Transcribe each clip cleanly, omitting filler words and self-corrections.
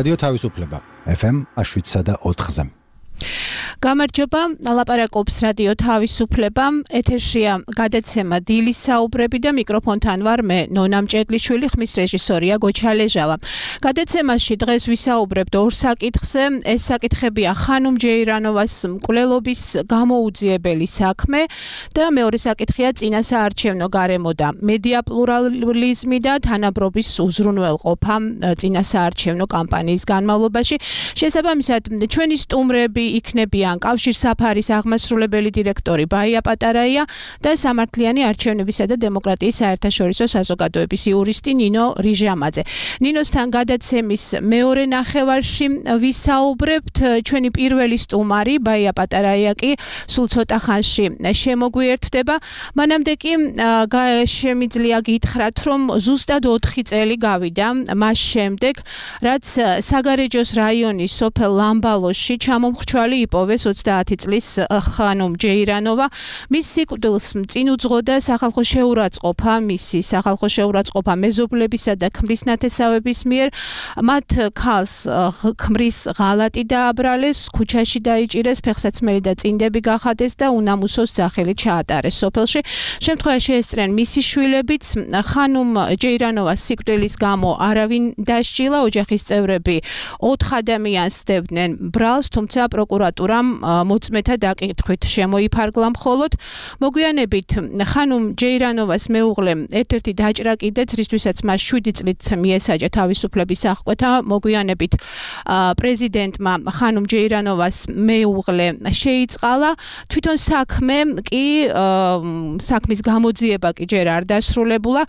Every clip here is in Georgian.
რადიო თავისუფლება FM 107.4-ზე. გამარჯობა, ლაპარაკობს რადიო თავისუფლება, ეთერშია გადაცემა დილის საუბრები და მიკროფონთან ვარ მე, ნონა მჭედლიშვილი, ხმის რეჟისორია გოჩალეჟავა. გადაცემაში დღეს ვისაუბრებთ ორ საკითხზე, ეს საკითხებია ხანუმ ჯეირანოვას მკვლელობის გამოუძიებელი საქმე და მეორე საკითხია წინასაარჩევნო გარემო და მედია პლურალიზმი და თანაბრობის უზრუნველყოფა წინასაარჩევნო კამპანიის განმავლობაში. შესაბამისად, ჩვენი სტუმრები იქნებიან კავშირსაფარის აღმასრულებელი დირექტორი ბაია პატარაია და სამართლიანი არჩევნებისა და დემოკრატიის საერთაშორისო საზოგადოების იურისტი ნინო რიჟამაძე. ნინოსთან გადაცემის მეორე ნახევარში ვისაუბრებთ. ჩვენი პირველი სტუმარი ბაია პატარაია კი სულ ცოტა ხანში შემოგვიერთდება. მანამდე კი შემიძლია გითხრათ, რომ ზუსტად 4 წელი გავიდა მას შემდეგ, რაც საგარეჯოს რაიონის სოფელ ლამბალოში ჩამომხრჩვალი იპოვეს 30 წლის ხანუმ ჯეირანოვა. მის სიკვდილს წინ უძღოდა სახალხო შეურაცხყოფა, მისი სახალხო შეურაცხყოფა მეზობლებისა და ქმრის ნათესავების მიერ. მათ ქალს ქმრის ღალატი დააბრალეს, ქუჩაში დაიჭირეს, ფეხსაცმელი და წინდები გახადეს და უნამუსოს ძახილი ჩაატარეს სოფელში. შემთხვევაში ესწრენ მისი შვილებიც. ხანუმ ჯეირანოვას სიკვდილის გამო არავინ დასჯილა, ოჯახის წევრები 4 ადამიანს სდებდნენ ბრალს, თუმცა პროკურატურამ მოწმეთა დაკითხვით შემოიფარგლა მხოლოდ. მოგვიანებით ხანუმ ჯეირანოვას მეუღლემ ერთ-ერთი დაჭრა კიდეც, რისთვისაც მას 7 წლით მიესაჯა თავისუფლების აღკვეთა. მოგვიანებით პრეზიდენტმა ხანუმ ჯეირანოვას მეუღლე შეიწყალა. თვითონ საქმის გამოძიება კი ჯერ არ დასრულებულა.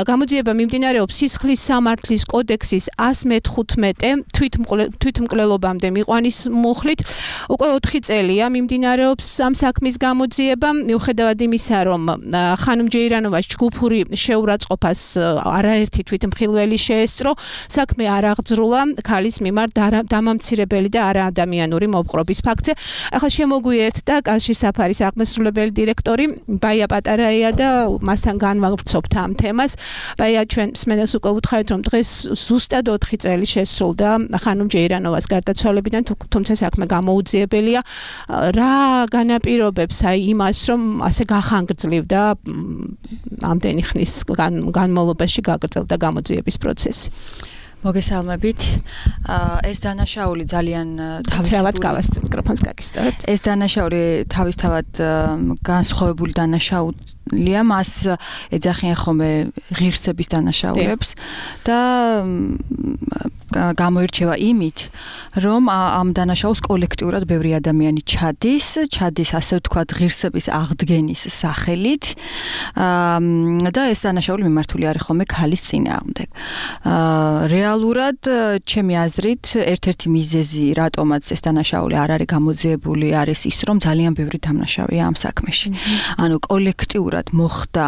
გამოძიება მიმდინარეობს სისხლის სამართლის კოდექსის 115 თვითმკვლელობამდე მიყვანის მუხლით. უკვე 4 წელია მიმდინარეობს ამ საქმის გამოძიება, მიუხედავად იმისა, რომ ხანუმ ჯეირანოვას ჯგუფური შეურაცხყოფას არაერთი თვითმხილველი შეესწრო, საქმე არ აღძრულა ქალის მიმართ დამამცირებელი და არაადამიანური მოპყრობის ფაქტზე. ახლა შემოგვიერთდა კავშირსაფარის აღმასრულებელი დირექტორი ბაია პატარაია და მასთან განვავრცობთ ამ თემას. ბაია, ჩვენ მსმენელს უკვე უთხრეთ, რომ დღეს ზუსტად 4 წელი შესრულდა ხანუმ ჯეირანოვას გარდაცვალებიდან, თუმცა საქმე გამოუძიებელია. რა განაპირობებს იმას, რომ ასე გახანგრძლივდა ამდენი ხნის განმავლობაში გაგრძელდა გამოძიების პროცესი? მოგესალმებით. ეს დანაშაული ძალიან ეს დანაშაული თავისთავად განსხვავებული დანაშაულია, მას ეძახიან ხოლმე ღირსების დანაშაულებს და გამოირჩევა იმით, რომ ამ დანაშაულს კოლექტიურად ბევრი ადამიანი ჩადის ასე ვთქვათ ღირსების აღდგენის სახელით და ეს დანაშაული მიმართული არის ხოლმე ქალის წინააღმდეგ. რეალურად, ჩემი აზრით, ერთ-ერთი მიზეზი, რატომაც ეს დანაშაული არ არის გამოძიებული, არის ის, რომ ძალიან ბევრი დამნაშავეა ამ საქმეში. ანუ კოლექტიურად მოხდა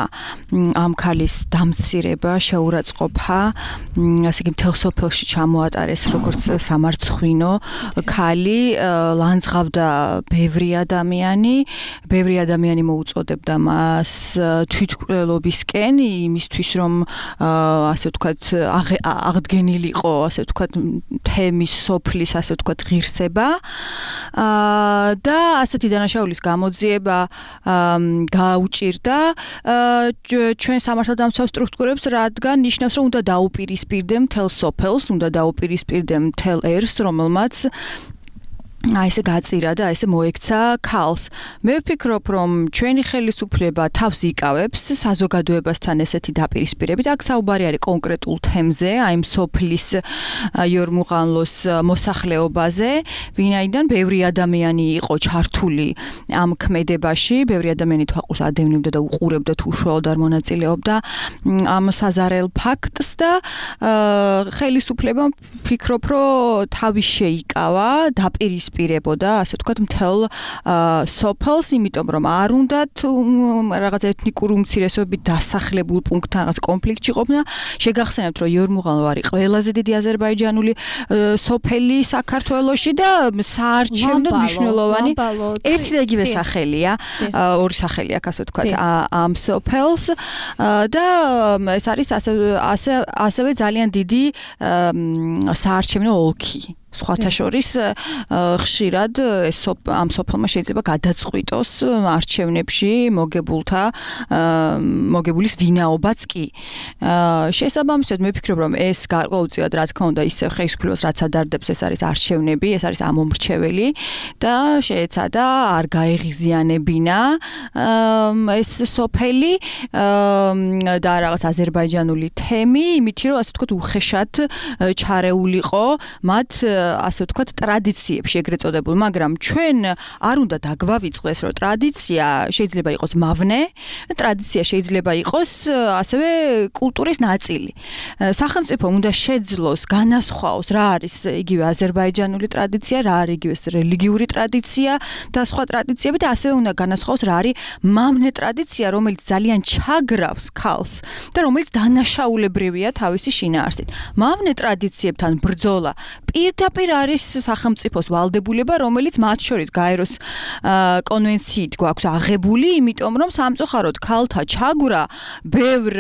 ამ ქალის დამცირება, შეურაცხყოფა, ასე იგი მთელ სოფელში ჩამოატარეს როგორც სამარცხვინო ქალი, ლანძღავდა ბევრი ადამიანი მოუწოდებდა მას თვითმკვლელობისკენ, იმისთვის რომ ასე ვთქვათ აღდგენილიყო, ასე ვთქვათ თემის სოფლის, ასე ვთქვათ ღირსება და ასეთი დანაშაულის გამოძიება გაუჭირდა ჩვენ სამართალდამცავ სტრუქტურებს, რადგან ნიშნავს, რომ უნდა დაუპირისპირდე მთელ სოფელს, უნდა დაუპირისპირდე მთელ ერს, რომელმაც ესე გაწირა და ესე მოექცა ქალს. მე ვფიქრობ, რომ ჩვენი ხელისუფლება თავს იკავებს საზოგადოებასთან ესეთი დაპირისპირებით. აქ საუბარი არის კონკრეტულ თემზე, აი სოფლის იორმუღანლოს მოსახლეობაზე, ვინაიდან ბევრი ადამიანი იყო ჩართული ამ ქმედებაში, ბევრი ადამიანი თვალყურს ადევნებდა და უყურებდა თუ უშუალოდ არ მონაწილეობდა ამ საზარელ ფაქტს და ხელისუფლება ვფიქრობ, რომ თავის შეიკავა, დაპირისპირდა დაეპირებოდა, ასე ვთქვათ, მთელ სოფელს, იმიტომ რომ არ უნდათ რაღაც ეთნიკური უმცირესობებით დასახლებულ პუნქტთან რაღაც კონფლიქტში ყოფნა. შეგახსენებთ, რომ იორმუღალო არის ყველაზე დიდი აზერბაიჯანული სოფელი საქართველოში და საარჩევნო მნიშვნელოვანი ერთი და იგივე სახელია, ორი სახელი აქვს, ასე ვთქვათ, ამ სოფელს და ეს არის ასევე ძალიან დიდი საარჩევნო ოლქი. სხვათა შორის ხშირად ამ სოფელმა შეიძლება გადაწყვიტოს არჩევნებში მოგებულის ვინაობაც კი. შესაბამისად მე ვფიქრობ, რომ ეს გარკვეულწილად რა თქმა უნდა ისევ ხელისუფლებას რაც ადარდებს, ეს არის არჩევნები, ეს არის ამომრჩეველი და შეეცადა არ გაეღიზიანებინა ეს სოფელი და რაღაც აზერბაიჯანული თემი, იმით რომ ასე ვთქვათ უხეშად ჩარეულიყო მათ ასე ვთქვათ ტრადიციებში ეგრეთ წოდებულ, მაგრამ ჩვენ არ უნდა დაგვავიწყდეს, რომ ტრადიცია შეიძლება იყოს მავნე, ტრადიცია შეიძლება იყოს ასევე კულტურის ნაწილი. სახელმწიფო უნდა შეძლოს, განასხვაოს რა არის იგივე აზერბაიჯანული ტრადიცია, რა არის იგივე რელიგიური ტრადიცია და სხვა ტრადიციები და ასევე უნდა განასხვაოს რა არის მავნე ტრადიცია, რომელიც ძალიან ჩაგრავს ქალს და რომელიც დანაშაულებრივია თავისი შინაარსით. მავნე ტრადიციებთან ბრძოლა პირდაპირ არის სახელმწიფოს ვალდებულება, რომელიც მათ შორის გაეროს კონვენციით გვაქვს აღებული, იმიტომ რომ სამწუხაროდ ქალთა ჩაგვრა ბევრ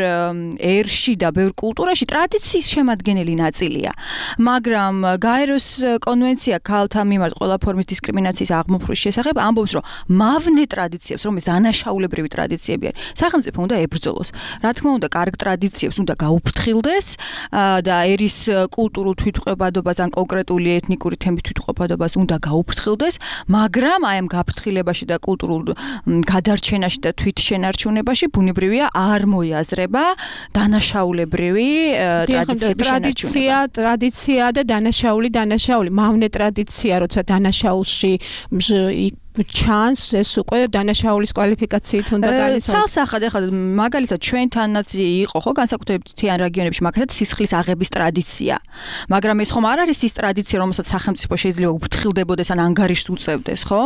ერში და ბევრ კულტურაში ტრადიციის შემადგენელი ნაწილია. მაგრამ გაეროს კონვენცია ქალთა მიმართ ყველა ფორმის დისკრიმინაციის აღმოფხვის შესახებ ამბობს, რომ მავნე ტრადიციებს, რომელიც დანაშაულებრივი ტრადიციები არის, სახელმწიფო უნდა ებრძოლოს. რა თქმა უნდა, კარგ ტრადიციებს უნდა გაუფრთხილდეს და ერის კულტურულ თვითმყოფადობას ან კონკრეტული ეთნიკური თემის თვითმყოფადობას უნდა გაუფრთხილდეს, მაგრამ აი ამ გაფრთხილებაში და კულტურულ გადარჩენაში და თვითშენარჩუნებაში ბუნებრივია არ მოიაზრება დანაშაულებრივი ტრადიციების შენარჩუნება. ტრადიცია და დანაშაული, მავნე ტრადიცია, როცა დანაშაულში ჩანს ეს უკვე დანაშაულის კვალიფიკაციით უნდა განისაზღვროს. ცალსახად ახლა მაგალითად ჩვენთანაც იყო ხო განსაკუთრებით მთიან რეგიონებში მაგალითად სისხლის აღების ტრადიცია. მაგრამ ეს ხომ არ არის ის ტრადიცია, რომელსაც სახელმწიფო შეიძლება უფრთხილდებოდეს ან ანგარიშს უწევდეს, ხო?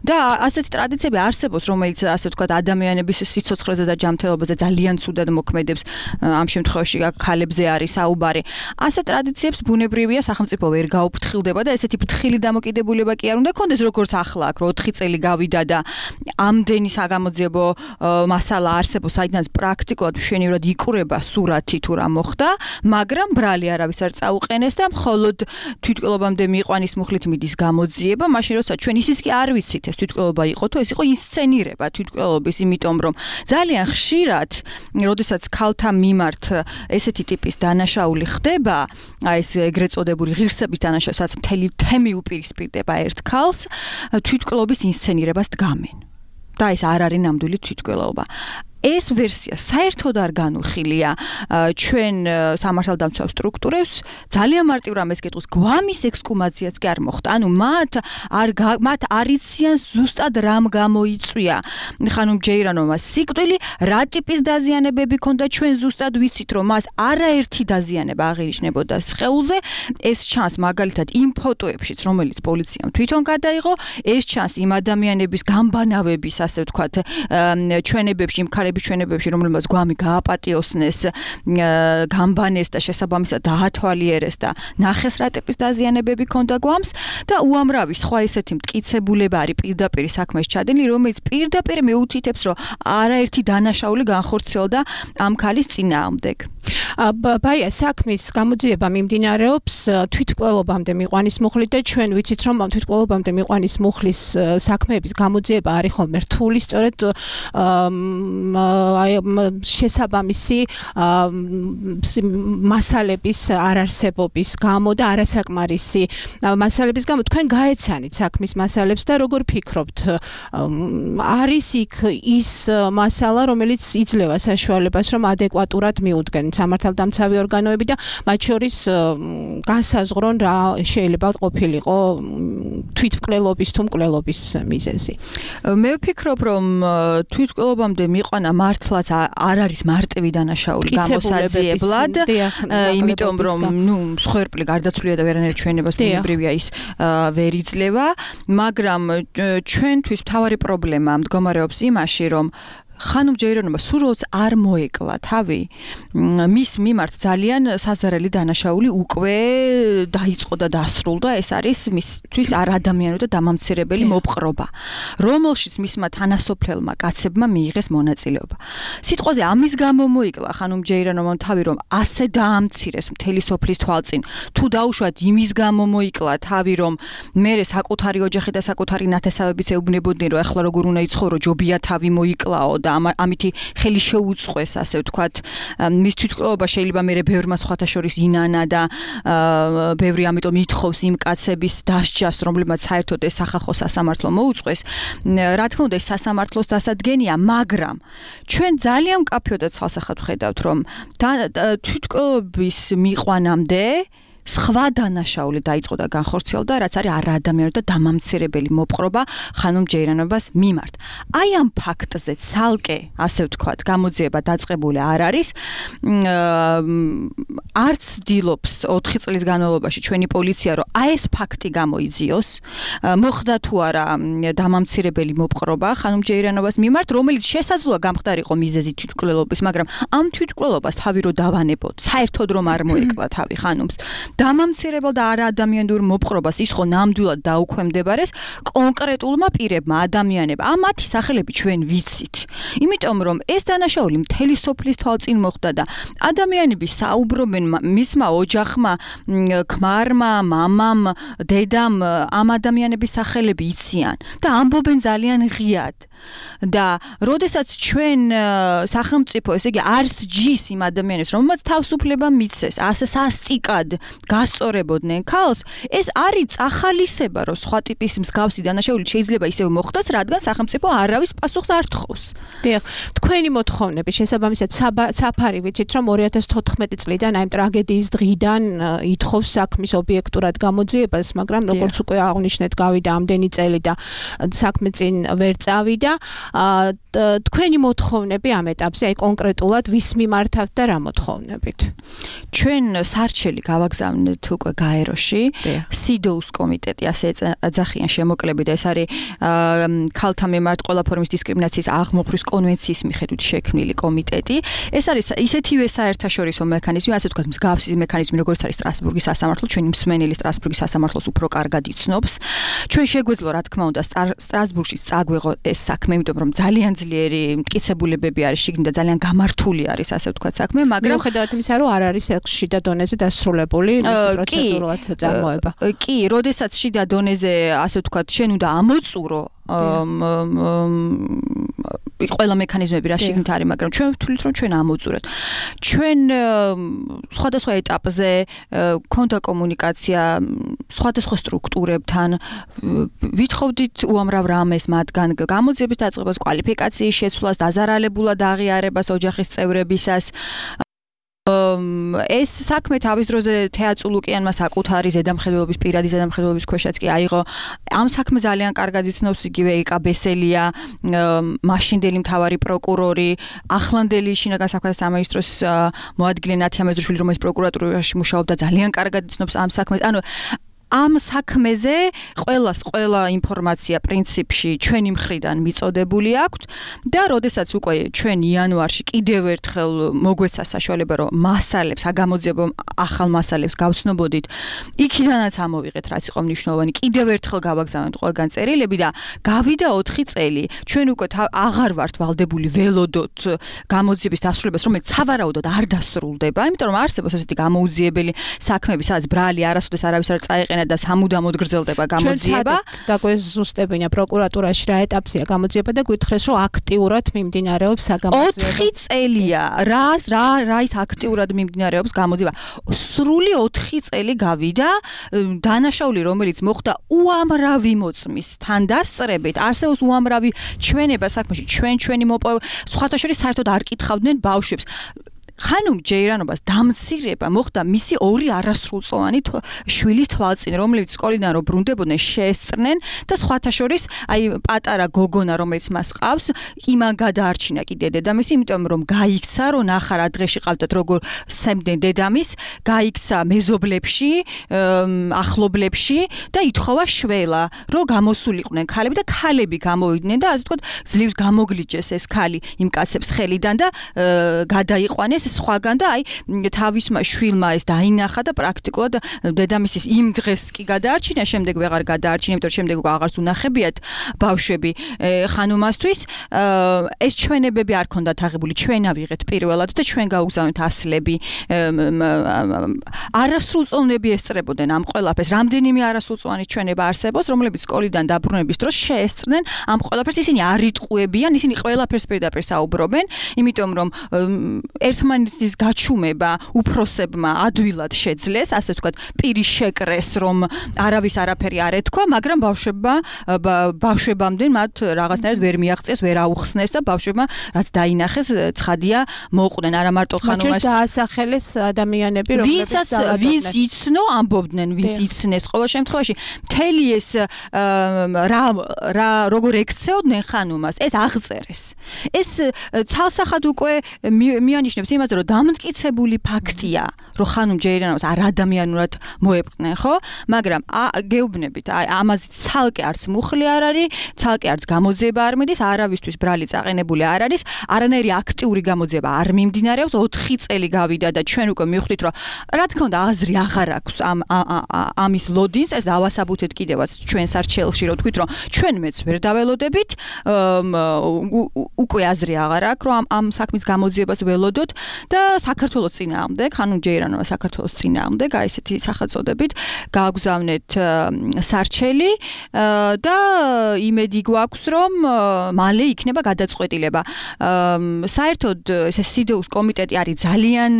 და ასეთი ტრადიციები არსებობს, რომელიც ასე ვთქვათ ადამიანების სიცოცხლეზე და ჯანმრთელობაზე ძალიან ცუდად მოქმედებს. ამ შემთხვევაში ქალებზე არის საუბარი. ასეთ ტრადიციებს ბუნებრივია სახელმწიფო ვერ გაუფრთხილდება და ესეთი ფრთხილი დამოკიდებულება კი არ უნდა ქონდეს, როგორც ახლა აქ 4 წელი გავიდა და ამდენი საგამოძიებო მასალა არსებობს, საიდანაც პრაქტიკულად მშვენივრად იკვრება სურათი თუ რა მოხდა, მაგრამ ბრალი არავის არ წაუყენეს და მხოლოდ თვითმკვლელობამდე მიიყვანის მუხლით მიდის გამოძიება, მაშინ როცა ჩვენ ისიც კი არ ვიცით ეს თვითმკვლელობა იყო თუ ეს იყო ინსცენირება თვითმკვლელობის, იმიტომ რომ ძალიან ხშირად, როდესაც ქალთა მიმართ ესეთი ტიპის დანაშაული ხდება, აი ეს ეგრეთ წოდებული ღირსების დანაშაული, სადაც მთელი თემი უპირისპირდება ერთ ქალს, თვითმკვლელობის ინსცენირებას დგამენ. და ეს არ არის ნამდვილი თვითმკვლელობა. ეს ვერსია საერთოდ არ განუხილია ჩვენ სამართალდამცავ სტრუქტურებს, ძალიან მარტივ რამეს გეტყვის, გვამის ექსკუმაციაც კი არ მოხდა. ანუ მათ არ იციან ზუსტად რამ გამოიწვია. ხანუმ ჯეირანოვმა სიკვდილი, რა ტიპის დაზიანებები ქონდა, ჩვენ ზუსტად ვიცით, რომ მას არაერთი დაზიანება აღინიშნებოდა სხეულზე. ეს ჩანს მაგალითად იმ ფოტოებშიც, რომელიც პოლიციამ თვითონ გადაიღო, ეს ჩანს იმ ადამიანების გამბანავების, ასე ვთქვათ, ჩვენებებში, იმ ჩვენებებში, რომელმაც გვამი გააპატიოსნეს, გამბანეს და შესაბამისად დაათვალიერეს და ნახეს რა ტიპის დაზიანებები ქონდა გვამს და უამრავი სხვა ესეთი მტკიცებულება არის პირდაპირ საქმეს ჩადენილი, რომელიც პირდაპირ მეუთითებს, რომ არაერთი დანაშაული განხორციელდა ამ ქალის წინააღმდეგ. ბაია, საქმის გამოძიება მიმდინარეობს თვითმკვლელობამდე მიყვანის მუხლით და ჩვენ ვიცით, რომ თვითმკვლელობამდე მიყვანის მუხლის საქმეების გამოძიება არის ხოლმე რთული, სწორედ შესაბამისი მასალების არარსებობის გამო და არასაკმარისი მასალების გამო. თქვენ გაეცანით საქმის მასალებს და როგორ ფიქრობთ, არის იქ ის მასალა, რომელიც იძლევა საშუალებას, რომ ადეკვატურად მიუდგენ სამართალდამცავი ორგანოები და მათ შორის განსაზღვრონ რა შეიძლება ყოფილიყო თვითმკვლელობის თუ მკვლელობის მიზეზი. მე ვფიქრობ, რომ თვითმკვლელობამდე მიყვანა მართლაც არ არის მარტივი დანაშაული გამოსაძიებლად, იმიტომ რომ მსხვერპლი გარდაცვლილია და ვერანაირ ჩვენებას ბუნებრივია ის ვერ იძლევა, მაგრამ ჩვენთვის მთავარი პრობლემა მდგომარეობს იმაში, რომ ხანუმ ჯეირონობა სულაც არ მოეკლა თავი მის მიმართ ძალიან საზარელი დანაშაული უკვე დაიწყო და დასრულდა ეს არის მისთვის არადამიანური და დამამცირებელი მოპყრობა რომელშიც მისმა თანასოფლელმა კაცებმა მიიღეს მონაწილეობა სიტყვაზე ამის გამო მოიკლა ხანუმ ჯეირონობამ თავი რომ ასე დაამცირეს მთელი სოფლის თვალწინ თუ დაუშვათ იმის გამო მოიკლა თავი რომ მერე საკუთარი ოჯახი და საკუთარი ნათესავებიც ეუბნებოდნენ რომ ახლა როგორ უნდა იცხოვრო ჯობია თავი მოიკლაო და ამითი ხელი შეუწყვეს ასე ვთქვათ მის თვითმკვლელობა შეიძლება მერე ბევრმა სხვათა შორის ინანა და ბევრი ამიტომ ითხოვს იმ კაცების დასჯას რომლებმაც საერთოდ ეს სახალხო სასამართლო მოუწყვეს რა თქმა უნდა ეს სასამართლოს დასადგენია მაგრამ ჩვენ ძალიან მკაფიოდ ცალსახად ვხედავთ რომ თვითმკვლელობის მიყვანამდე სხვა დანაშაული დაიწყო და განხორციელდა, რაც არის არაადამიანური და დამამცირებელი მოპყრობა ხანუმ ჯეირონობას მიმართ. აი ამ ფაქტზე ცალკე, ასე ვთქვათ, გამოძიება დაწყებული არ არის. არც დილობს 4 წლის განმავლობაში ჩვენი პოლიცია, რომ აი ეს ფაქტი გამოიძიოს, მოხდა თუ არა დამამცირებელი მოპყრობა ხანუმ ჯეირონობას მიმართ, რომელიც შესაძლოა გამხდარიყო მიზეზი თვითმკვლელობის, მაგრამ ამ თვითმკვლელობას თავი რო დავანებოთ, საერთოდ რომ არ მოეკლა თავი ხანუმს დამამცირებელ და არაადამიანურ მოპყრობას ის ხო ნამდვილად დაუქვემდებარეს კონკრეტულმა პირებმა ადამიანებმა. ამათი სახელები ჩვენ ვიცით. იმიტომ რომ ეს დანაშაული მთელი სოფლის თვალწინ მოხდა და ადამიანები საუბრობენ მისმა ოჯახმა, ქმარმა, მამამ, დედამ ამ ადამიანების სახელები იციან და ამბობენ ძალიან ღიად. და როდესაც ჩვენ სახელმწიფო ესე იგი არს ჯის იმ ადამიანებს რომელმაც თავისუფლება მიცეს ასე სასტიკად გასწორებოდნენ ქალს ეს არის წახალისება რომ სხვა ტიპის მსგავსი დანაშაული შეიძლება ისევ მოხდეს რადგან სახელმწიფო არავის პასუხს არ თხოვს. დიახ, თქვენი მოთხოვნები შესაბამისად საფარი ვიცით რომ 2014 წლიდან აი ტრაგედიის დღიდან ითხოვს საქმის ობიექტურად გამოძიებას, მაგრამ როგორც უკვე აღნიშნეთ გავიდა ამდენი წელი და საქმე წინ ვერ წავიდა. თქვენი მოთხოვნები ამ ეტაპზე აი კონკრეტულად ვის მიმართავთ და რა მოთხოვნებით? ჩვენ სარჩელი გავაგზავნეთ უკვე გაეროში, სიდოუს კომიტეტი ასე ეძახიან შემოკლებით და ეს არის ქალთა მიმართ ყველა ფორმის დისკრიმინაციის აღმოფხვის კონვენციის მიხედვით შექმნილი კომიტეტი. ეს არის ისეთივე საერთაშორისო მექანიზმი, ასე ვთქვათ, მსგავსი მექანიზმი, როგორც არის სტრასბურგის სასამართლო, ჩვენი მსმენელი სტრასბურგის სასამართლოს უფრო კარგად იცნობს. ჩვენ შეგვეძლო, რა თქმა უნდა, სტრასბურგში წაგვეღო ეს საქმე, იმიტომ რომ ძალიან ძლიერი მტკიცებულებები არის შიგნით და ძალიან გამართული არის, ასე ვთქვათ, საქმე, მაგრამ მიუხედავად იმისა, რომ არ არის შიდა დონეზე დასრულებული მისი პროცედურულად წარმოება. კი, როდესაც შიდა დონეზე, ასე ვთქვათ, შენ უნდა ამოწურო ყველა მექანიზმები რა შიგნით არის, მაგრამ ჩვენ ვთვლით რომ ჩვენ ამოვწურეთ. ჩვენ სხვადასხვა ეტაპზე ქონდა კომუნიკაცია სხვადასხვა სტრუქტურებთან, ვითხოვდით უამრავ რამეს მათგან გამოძიების დაწყებას, კვალიფიკაციის შეცვლას, დაზარალებულად აღიარებას ოჯახის წევრებისას. ეს საქმე თავის დროზე თეატ ლუკიანმა საკუთარი ზედამხედველობის პირადი ზედამხედველობის ქვეშაც კი აიღო. ამ საქმე ძალიან კარგად იცნობს იგივე იკა ბესელია, მაშინდელი მთავარი პროკურორი, ახლანდელი შინაგან საქმეთა სამინისტროს მოადგილე ნათია მეზრუშვილი, რომელიც პროკურატურაში მუშაობდა, ძალიან კარგად იცნობს ამ საქმეს. ანუ ამ საქმეზე ყველა ინფორმაცია პრინციპში ჩვენი მხრიდან მიწოდებული აქვს და როდესაც უკვე ჩვენ იანვარში კიდევ ერთხელ მოგვეცა საშუალება რომ მასალებს, აგამოძიებო ახალ მასალებს გავცნობოდით, იქიდანაც ამოვიღეთ რაც იყო მნიშვნელოვანი, კიდევ ერთხელ გავაგზავნეთ ყველგან წერილები და გავიდა 4 წელი. ჩვენ უკვე აღარ ვართ ვალდებული ველოდოთ გამოძიების დასრულებას, რომელიც სავარაუდოდ არ დასრულდება, იმიტომ რომ არსებობს ესეთი გამოუძიებელი საქმეები, სადაც ბრალი არასოდეს არავის არ წაეყენა და სამუდამოდ გრძელდება გამოძიება. და გვეზუსტებინა პროკურატურაში რა ეტაპზეა გამოძიება და გითხრეს რომ აქტიურად მიმდინარეობს საგამოძიება. 4 წელია. რა ის აქტიურად მიმდინარეობს გამოძიება. სრული 4 წელი გავიდა დანაშაული რომელიც მოხდა უამრავი მოწმის თან დასწრებით. არსებობს უამრავი ჩვენება საქმეში. ჩვენი სხვათა შორის საერთოდ არ კითხავდნენ ბავშვებს. ხანუმ ჯეირანობას დამცირება მოხდა მისი ორი არასრულწლოვანი შვილის თვალწინ, რომლებიც სკოლიდან რო ბრუნდებოდნენ, შეესწრნენ და სხვათა შორის აი პატარა გოგონა, რომელიც მას ყავს, იმან გადაარჩინა კიდე დედამისი, იმიტომ რომ გაიქცა, რომ ნახა რა დღეში ყავდათ, როგორ სცემდნენ დედამის, გაიქცა მეზობლებში, ახლობლებში და ითხოვა შველა, რომ გამოსულიყვნენ ქალები და ქალები გამოვიდნენ და ასე ვთქვათ, ძლივს გამოგლიჯეს ეს ქალი იმ კაცებს ხელიდან და გადაიყვანეს სხვაგან და აი თავისმა შვილმა ეს დაინახა და პრაქტიკულად დედამისის იმ დღეს კი გადაარჩინა, შემდეგ ვეღარ გადაარჩინა, იმიტომ რომ შემდეგ უკვე აღარც უნახებიათ ბავშვები ხანუმასთვის. ეს ჩვენებები არ ქონდათ აღებული, ჩვენ ავიღეთ პირველად და ჩვენ გავუგზავნეთ ასლები. არასრულწლოვნები ესწრებოდნენ ამ ყველაფერს. რამდენიმე არასრულწლოვანი ჩვენება არსებობს, რომლებიც სკოლიდან დაბრუნების დროს შეესწრნენ ამ ყველაფერს. ისინი არ იტყუებიან, ისინი ყველაფერს პირდაპირ საუბრობენ, იმიტომ რომ ერთმანეთის გაჩუმება უფროსებმა ადვილად შეძლეს, ასე ვთქვათ, პირი შეკრეს, რომ არავის არაფერი არ ეთქვა, მაგრამ ბავშვებამდე მათ რაღაცნაირად ვერ მიაღწიეს, ვერ აუხსნეს და ბავშვებმა რაც დაინახეს, ცხადია მოუყვნენ არა მარტო ხანუმას. დაასახელეს ადამიანები, რომლებიც ვინც იცნო, ამბობდნენ, ვინც იცნეს ყოველ შემთხვევაში. მთელი ეს როგორ ექცეოდნენ ხანუმას, ეს აღწერეს. ეს ცალსახად უკვე მიანიშნებს იმაზე, რომ დამტკიცებული ფაქტია, რომ ხანუმ ჯეირანოვას არ ადამიანურად მოეპყნენ, ხო? მაგრამ გეუბნებით, ამაზე ცალკე არც მუხლი არ არის, ცალკე არც გამოძიება არ მიდის, არავისთვის ბრალი წაყენებული არ არის, არანაირი აქტიური გამოძიება არ მიმდინარეობს, 4 წელი გავიდა და ჩვენ უკვე მივხვდით, რომ რა თქმა უნდა აზრი აღარ აქვს ამის ლოდინს, ეს დავასაბუთეთ კიდევაც ჩვენ სარჩელში, რომ თქვით, რომ ჩვენ მეც ვერ დაველოდებით, უკვე აზრი აღარ აქვს, რომ ამ საქმის გამოძიებას ველოდოთ და საქართველოს წინააღმდეგ, ხანუმ ჯეირანოვა საქართველოს წინააღმდეგ, აი ესეთი სახელწოდებით გააგზავნეთ სარჩელი და იმედი გვაქვს, რომ მალე იქნება გადაწყვეტილება. საერთოდ ეს სიდეუს კომიტეტი არის ძალიან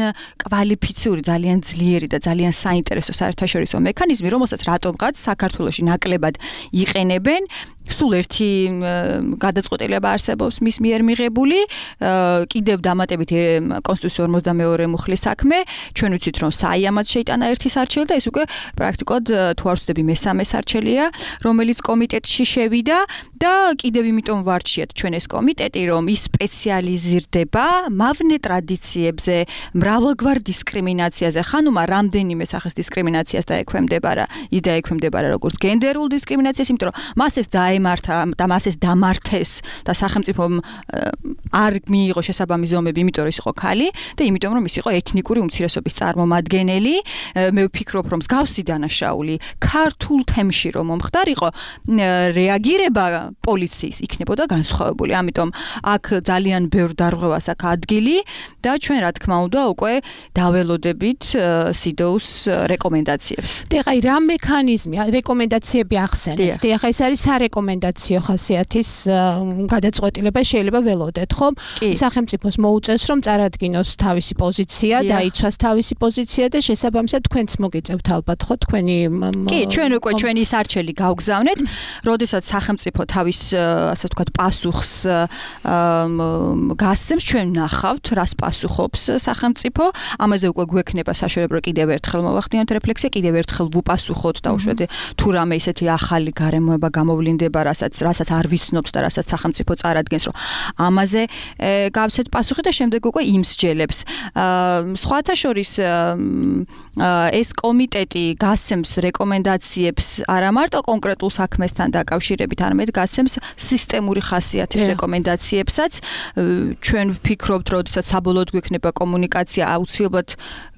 კვალიფიციური, ძალიან ძლიერი და ძალიან საინტერესო საერთაშორისო მექანიზმი, რომელსაც რატომღაც საქართველოში ნაკლებად იყენებენ. სულ ერთი გადაწყვეტილება არსებობს მის მიერ მიღებული, კიდევ დამატებით კონსტიტუციის 52 მუხლის საქმე, ჩვენ ვიცით, რომ საიამად შეიტანა ერთი სარჩელი და ეს უკვე პრაქტიკულად თუ არ ვცდები მესამე სარჩელია, რომელიც კომიტეტში შევიდა და კიდევ იმიტომ ვარჩიეთ ჩვენ ეს კომიტეტი, რომ ის სპეციალიზირდება მავნე ტრადიციებზე, მრავალგვარ დისკრიმინაციაზე, ხანუმა რამდენიმე სახის დისკრიმინაციას დაექვემდებარა, ის დაექვემდებარა როგორც გენდერულ დისკრიმინაციას, იმიტომ რომ მას ეს დაემართა და მას ეს დამართეს და სახელმწიფომ არ მიიღო შესაბამისი ზომები, იმიტომ რომ ის იყო ქალი და იმიტომ რომ ის იყო ეთნიკური უმცირესობის წარმომადგენელი. მე ვფიქრობ, რომ მსგავსი დანაშაული ქართულ თემში რომ მომხდარიყო, რეაგირება პოლიციის იქნებოდა განსხვავებული. ამიტომ აქ ძალიან ბევრ დარღვევას აქვს ადგილი და ჩვენ რა თქმა უნდა უკვე დაველოდებით სიდოუს რეკომენდაციებს. ეხლა რა მექანიზმია, რეკომენდაციები ახსენეთ. ეხლა ეს არის სარეკომენდაციო ხასიათის გადაწყვეტილება, შეიძლება ველოდეთ, ხო? სახელმწიფოს მოუწევს, რომ წარადგინოს თავისი პოზიცია, დაიცვას თავისი პოზიცია და შესაბამისად თქვენც მოგიწევთ ალბათ, ხო, თქვენი კი, ჩვენ უკვე ჩვენი სარჩელი გავგზავნეთ, როდესაც სახელმწიფო თავის ასე ვთქვათ პასუხს გასცემს, ჩვენ ვნახავთ, რას პასუხობს სახელმწიფო. ამაზე უკვე გვექნება საშუალება, რომ კიდევ ერთხელ მოვახდინოთ რეფლექსია, კიდევ ერთხელ ვუპასუხოთ და უშუალოდ თუ რამე ისეთი ახალი გარემოება გამოვლინდება, რასაც არ ვიცნობთ და რასაც სახელმწიფო წარადგენს, რომ ამაზე გავცეთ პასუხი და შემდეგ უკვე იმსჯელებს. სხვათა შორის ეს კომიტეტი გასცემს რეკომენდაციებს არა მარტო კონკრეტულ საქმესთან დაკავშირებით, არამედ გასცემს სისტემური ხასიათის რეკომენდაციებსაც. ჩვენ ვფიქრობთ, როდესაც საბოლოოდ გვექნება კომუნიკაცია, აუცილებლად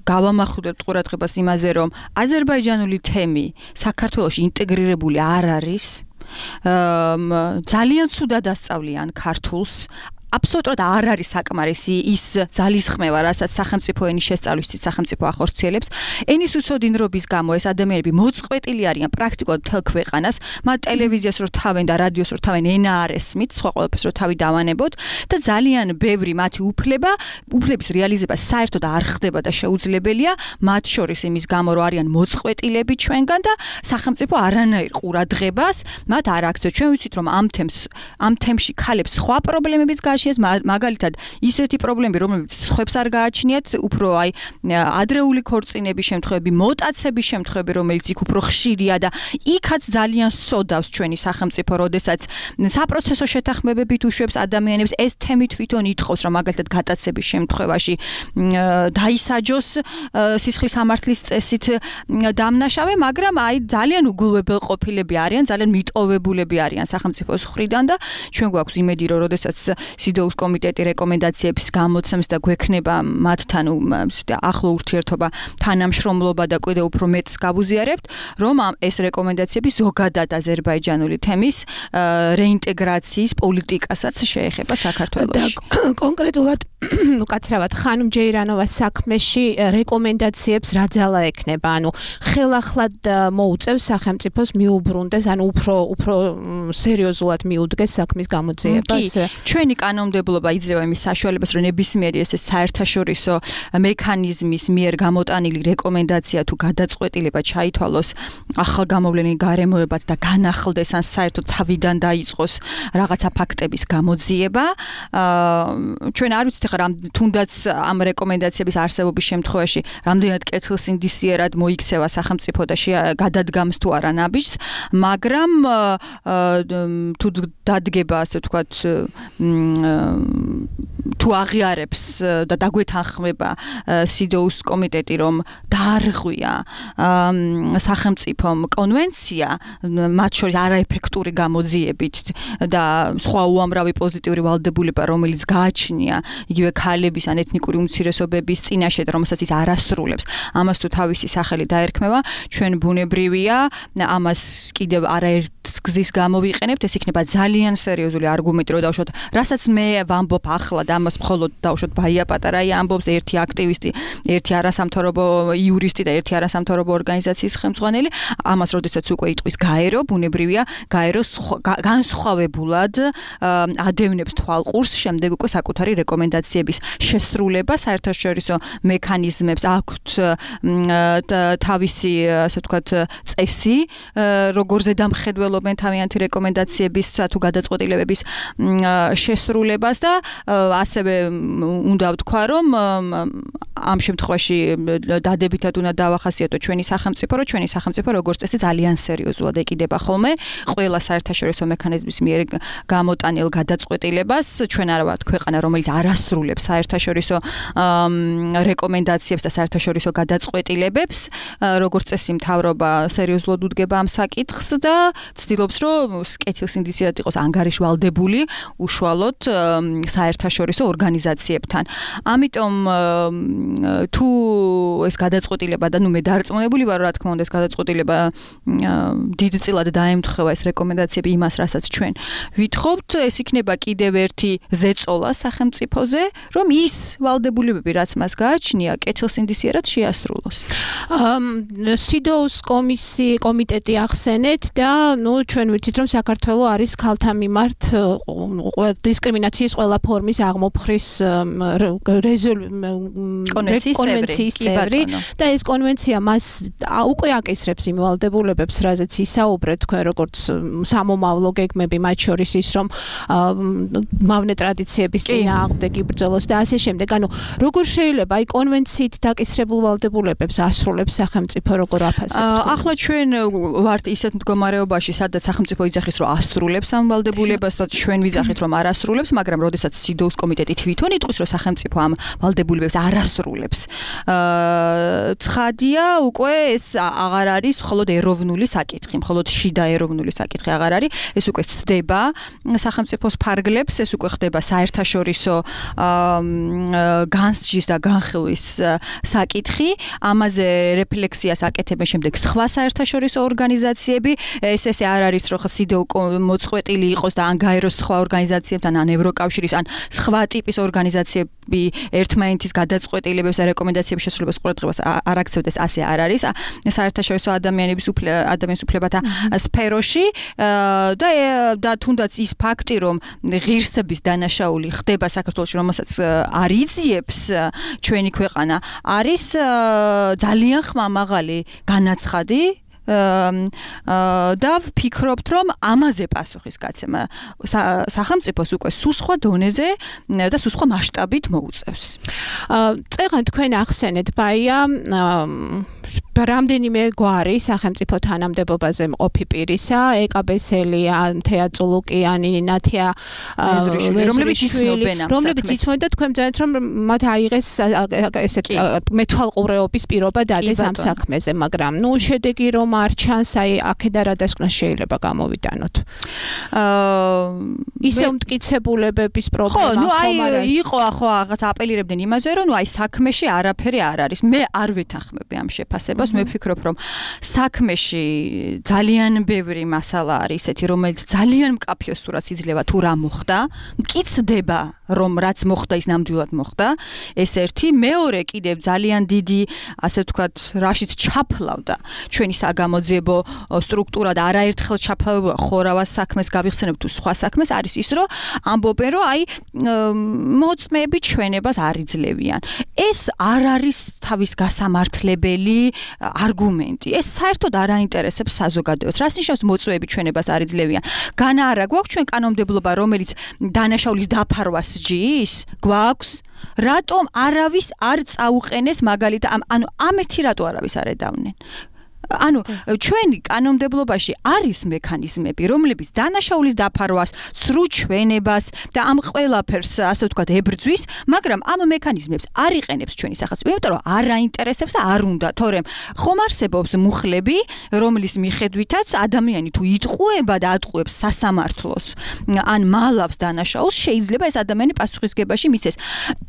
გავამახვილებთ ყურადღებას იმაზე, რომ აზერბაიჯანული თემი საქართველოში ინტეგრირებული არ არის. ძალიან ცუდად ასწავლიან ქართულს. აბსოლუტურად არ არის საკმარისი ის ძალისხმევა, რასაც სახელმწიფო ენის შესწავლისთვის სახელმწიფო ახორციელებს. ენის უცოდინრობის გამო ეს ადამიანები მოწყვეტილი არიან პრაქტიკულად მთელ ქვეყანას, მათ ტელევიზიას რო თავენ და რადიოს რო თავენ ენა არ ესმით, სხვა ყველაფერს რო თავი დავანებოთ და ძალიან ბევრი მათი უფლების რეალიზება საერთოდ არ ხდება და შეუძლებელია, მათ შორის იმის გამო, რომ არიან მოწყვეტილები ჩვენგან და სახელმწიფო არანაირ ყურადღებას მათ არ აქცევს. ჩვენ ვიცით, რომ ამ თემში ქალებს სხვა პრობლემებიც გააჩნიათ მაგალითად ისეთი პრობლემები რომლებიც სხვებს არ გააჩნიათ უფრო აი ადრეული ქორწინების შემთხვევები მოტაცების შემთხვევები რომელიც იქ უფრო ხშირია და იქაც ძალიან სოდავს ჩვენი სახელმწიფო როდესაც საპროცესო შეთანხმებებით უშვებს ადამიანებს ეს თემი თვითონ ითხოვს რომ მაგალითად გატაცების შემთხვევაში დაისაჯოს სისხლის სამართლის წესით დამნაშავე მაგრამ აი ძალიან უგულებელყოფილები არიან ძალიან მიტოვებულები არიან სახელმწიფოს მხრიდან და ჩვენ გვაქვს იმედი რომ როდესაც სიდოუს კომიტეტი რეკომენდაციებს გამოცემს და გვექნება მათთან ახლო ურთიერთობა თანამშრომლობა და კიდევ უფრო მეტს გავუზიარებთ რომ ეს რეკომენდაციები ზოგადად აზერბაიჯანული თემის რეინტეგრაციის პოლიტიკასაც შეეხება საქართველოში. და კონკრეტულად უკაცრავად ხანუმ ჯეირანოვას საქმეში რეკომენდაციებს რა ძალა ექნება? ანუ ხელახლად მოუწევს სახელმწიფოს მიუბრუნდეს, ანუ უფრო სერიოზულად მიუდგეს საქმის გამოძიებას. ჩვენი კანონმდებლობა იძლევა იმის საშუალებას, რომ ნებისმიერი ეს საერთაშორისო მექანიზმის მიერ გამოტანილი რეკომენდაცია თუ გადაწყვეტილება ჩაითვალოს ახალგამოვლენილ გარემოებად და განახლდეს ან საერთოდ თავიდან დაიწყოს რაღაცა ფაქტების გამოძიება. ჩვენ არ ვიცით ხა თუნდაც ამ რეკომენდაციების არსებობის შემთხვევაში რამდენად კეთილსინდისიერად მოიქცევა სახელმწიფო და გადადგამს თუ არა ნაბიჯს, მაგრამ თუ დადგება ასე ვთქვათ თუ აღიარებს და დაგვეთანხმება სიდოუს კომიტეტი რომ დაარღვია სახელმწიფომ კონვენცია მათ შორის არაეფექტური გამოძიებით და სხვა უამრავი პოზიტიური ვალდებულება რომელიც გააჩნია იგივე ქალების ან ეთნიკური უმცირესობების წინაშე რომელსაც ის არასრულებს ამას თუ თავისი სახელი დაერქმევა ჩვენ ბუნებრივია ამას კიდევ არაერთ გზის გამოვიყენებთ ეს იქნება ძალიან სერიოზული არგუმენტი რომ დავუშვათ რასაც მე ვამბობ ახლა და ამას მხოლოდ დავუშვათ ბაია პატარაი ამბობს ერთი აქტივისტი ერთი არასამთავრობო იურისტი და ერთი არასამთავრობო ორგანიზაციის ხელმძღვანელი ამას როდესაც უკვე იტყვის გაერო ბუნებრივია გაერო განსხვავებულად ადევნებს თვალყურს შემდეგ უკვე საკუთარი რეკომენდაციების შესრულება საერთაშორისო მექანიზმებს აქვთ თავისი ასე ვთქვათ წესი როგორ ზედამხედველობენ თავიანთი რეკომენდაციების თუ გადაწყვეტილებების შესრულებას და ასევე უნდა ვთქვა რომ ამ შემთხვევაში დადებითად უნდა დავახასიათო ჩვენი სახელმწიფო როგორც წესი ძალიან სერიოზულად ეკიდება ხოლმე ყველა საერთაშორისო მექანიზმის მიერ გამოტანილ გადაწყვეტილებას ჩვენ არ ვართ ქვეყანა რომელიც არასრულებს საერთაშორისო რეკომენდაციებს და საერთაშორისო გადაწყვეტილებებს როგორც წესი მთავრობა სერიოზულად უდგება ამ საკითხს და ცდილობს რომ კეთილსინდისიერად იყოს ანგარიშვალდებული უშუალოდ საერთაშორისო ორგანიზაციებთან ამიტომ თუ ეს გადაწყვეტილება და ნუ მე დარწმუნებული ვარ რა თქმა უნდა ეს გადაწყვეტილება დიდწილად დაემთხვა ეს რეკომენდაციები იმას რასაც ჩვენ ვითხოვთ ეს იქნება კიდევ ერთი ზეწოლა სახელმწიფოზე რომ ის ვალდებულებები რაც მას გააჩნია კეთილსინდისიერად შეასრულოს სიდოუს კომიტეტი ახსენეთ და ნუ ჩვენ ვიცით რომ საქართველოს არის ქალთა მიმართ დისკრიმინაციის ყველა ფორმის აღმოფხრის კონვენციის წევრი და ეს კონვენცია მას უკვე აკისრებს იმ ვალდებულებებს რაზეც ისაუბრეთ თქვენ როგორც სამომავლო გეგმები მათ შორის ის რომ მავნე ტრადიციების წინააღმდეგ იბრძოლოს და ასე შემდეგ ანუ როგორ შეიძლება აი კონვენციით დაკისრებულ ვალდებულებებს ასრულებს სახელმწიფო როგორ აფასებთ ახლა ჩვენ ვართ ისეთ მდგომარეობაში სადაც სახელმწიფო იძახის რომ ასრულებს ამ ვალდებულებას და ჩვენ ვიძახით რომ არ ასრულებს მაგრამ როდესაც სიდოუს კომიტეტი თვითონ იტყვის რომ სახელმწიფო ამ ვალდებულებებს არ ასრულებს ცხადია უკვე ეს აღარ არის მხოლოდ ეროვნული საკითხი მხოლოდ შიდა ეროვნული საკითხი აღარ არის ეს უკვე ცდება სახელმწიფოს ფარგლებს ეს უკვე ხდება საერთაშორისო განსჯის და განხილვის საკითხი ამაზე რეფლექსიას აკეთებენ შემდეგ სხვა საერთაშორისო ორგანიზაციები ეს არ არის რომ სიდოუ მოწყვეტილი იყოს და ან გაეროს სხვა ორგანიზაციებთან ან ევროკავშირის ან სხვა ტიპის ორგანიზაციები ერთმანეთის გადაწყვეტილებებს და რეკომენდაციების შესრულებას ყურადღებას არ აქცევდეს ასე არ არის საერთაშორისო ადამიანის უფლებათა სფეროში და თუნდაც ის ფაქტი რომ ღირსების დანაშაული ხდება საქართველოში რომელსაც არ იძიებს ჩვენი ქვეყანა არის ძალიან ხმამაღალი განაცხადი და ვფიქრობთ, რომ ამაზე პასუხის გაცემა სახელმწიფოს უკვე სუსხვა დონეზე და სუსხვა მასშტაბით მოუწევს. წეგან თქვენ ახსენეთ ბაია რამდენიმე გვარი სახელმწიფო თანამდებობაზე მყოფი პირისა, ეკაბესელია, თეა წულუკიანი, ნათია რომლებიც იცნობენ და თქვენ ბრძანეთ რომ მათ აიღეს ესეთ მეთვალყურეობის პირობა დადეს ამ საქმეზე, მაგრამ შედეგი რომ არ ჩანს, აი აქედა რა დასკვნა შეიძლება გამოვიტანოთ. ისე უმტკიცებულებების პრობლემა ხომ არა? იყო ახო რაღაც აპელირებდნენ იმაზე, რომ აი საქმეში არაფერი არ არის. მე არ ვეთანხმები ამ შეფასებას. მე ვფიქრობ, რომ საქმეში ძალიან ბევრი მასალა არის ისეთი, რომელიც ძალიან მკაფიო სურათს იძლევა თუ რა მოხდა, მკიცდება, რომ რაც მოხდა ის ნამდვილად მოხდა. ეს ერთი, მეორე კიდევ ძალიან დიდი, ასე ვთქვათ, რაშიც ჩაფლავდა ჩვენი საგამოძიებო სტრუქტურა და არაერთხელ ჩაფლავდა ხორავას საქმეს გავიხსენებ თუ სხვა საქმეს, არის ის, რომ ამბობენ, რომ აი მოწმეები ჩვენებას არ იძლევიან. ეს არ არის თავის გასამართლებელი არგუმენტი. ეს საერთოდ არ აინტერესებს საზოგადოებას. რას ნიშნავს მოწმეები ჩვენებას არ იძლევიან? განა არა გვაქვს ჩვენ კანონმდებლობა, რომელიც დანაშაულის დაფარვას ჯის? გვაქვს? რატომ არავის არ წაუყენეს მაგალითად ანუ ამეთი რატო არავის არ ედავნენ? ანუ ჩვენი კანონმდებლობაში არის მექანიზმები, რომლებიც დანაშაულის დაფარვას, სრულ ჩვენებას და ამ ყველაფერს, ასე ვთქვათ, ებრძვის, მაგრამ ამ მექანიზმებს არ იყენებს ჩვენი სახელმწიფო, იმიტომ რომ არ აინტერესებს და არ უნდა, თორემ ხომ არსებობს მუხლები, რომლის მიხედვითაც ადამიანი თუ იტყუება და ატყუებს სასამართლოს, ან მალავს დანაშაულს, შეიძლება ეს ადამიანი პასუხისგებაში მიცეს.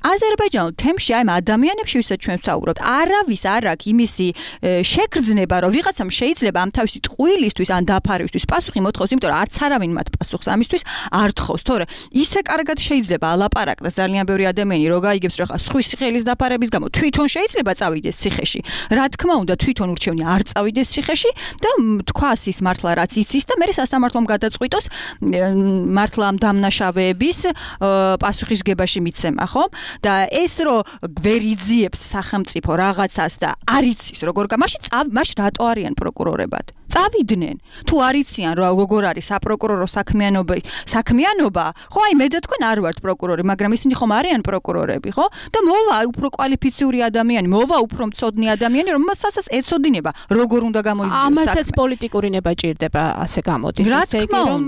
აზერბაიჯანულ თემში აი ამ ადამიანებში, ვისაც ჩვენ ვსაუბრობთ, არავის არ აქვს იმისი შეგრძნება, რომ ვიღაცამ შეიძლება ამ თავისი ტყუილისთვის ან დაფარვისთვის პასუხი მოთხოვს, იმიტომ რომ არც არავინ მათ პასუხს ამისთვის არ თხოვს. თორე ისე კარგად შეიძლება ალაპარაკდეს ძალიან ბევრი ადამიანი, რომ გაიგებს, რომ ხვის ხელის დაფარების გამო თვითონ შეიძლება წავიდეს ციხეში. რა თქმა უნდა, თვითონ ურჩევნი არ წავიდეს ციხეში და თქვას ის მართლა რაც იცის და მე სასამართლომ გადაწყვიტოს მართლა ამ დამნაშავეების პასუხისგებაში მიცემა, ხო? და ეს რომ ვერ იძიებს სახელმწიფო რაღაცას და არ იცის როგორ მაშინ რატო არიან პროკურორებად? წავიდნენ. თუ არ იციან როგორ არის საპროკურორო საქმიანობა, ხო აი მე და თქვენ არ ვართ პროკურორი, მაგრამ ისინი ხომ არიან პროკურორები, ხო? და მოვა უფრო კვალიფიციური ადამიანი, მოვა უფრო მწოდნი ადამიანი, რომელსაც ეცოდინება, როგორ უნდა გამოიძიოს საქმე. ამასაც პოლიტიკური ნება ჭირდება, ასე გამოდის. ისე იგი რომ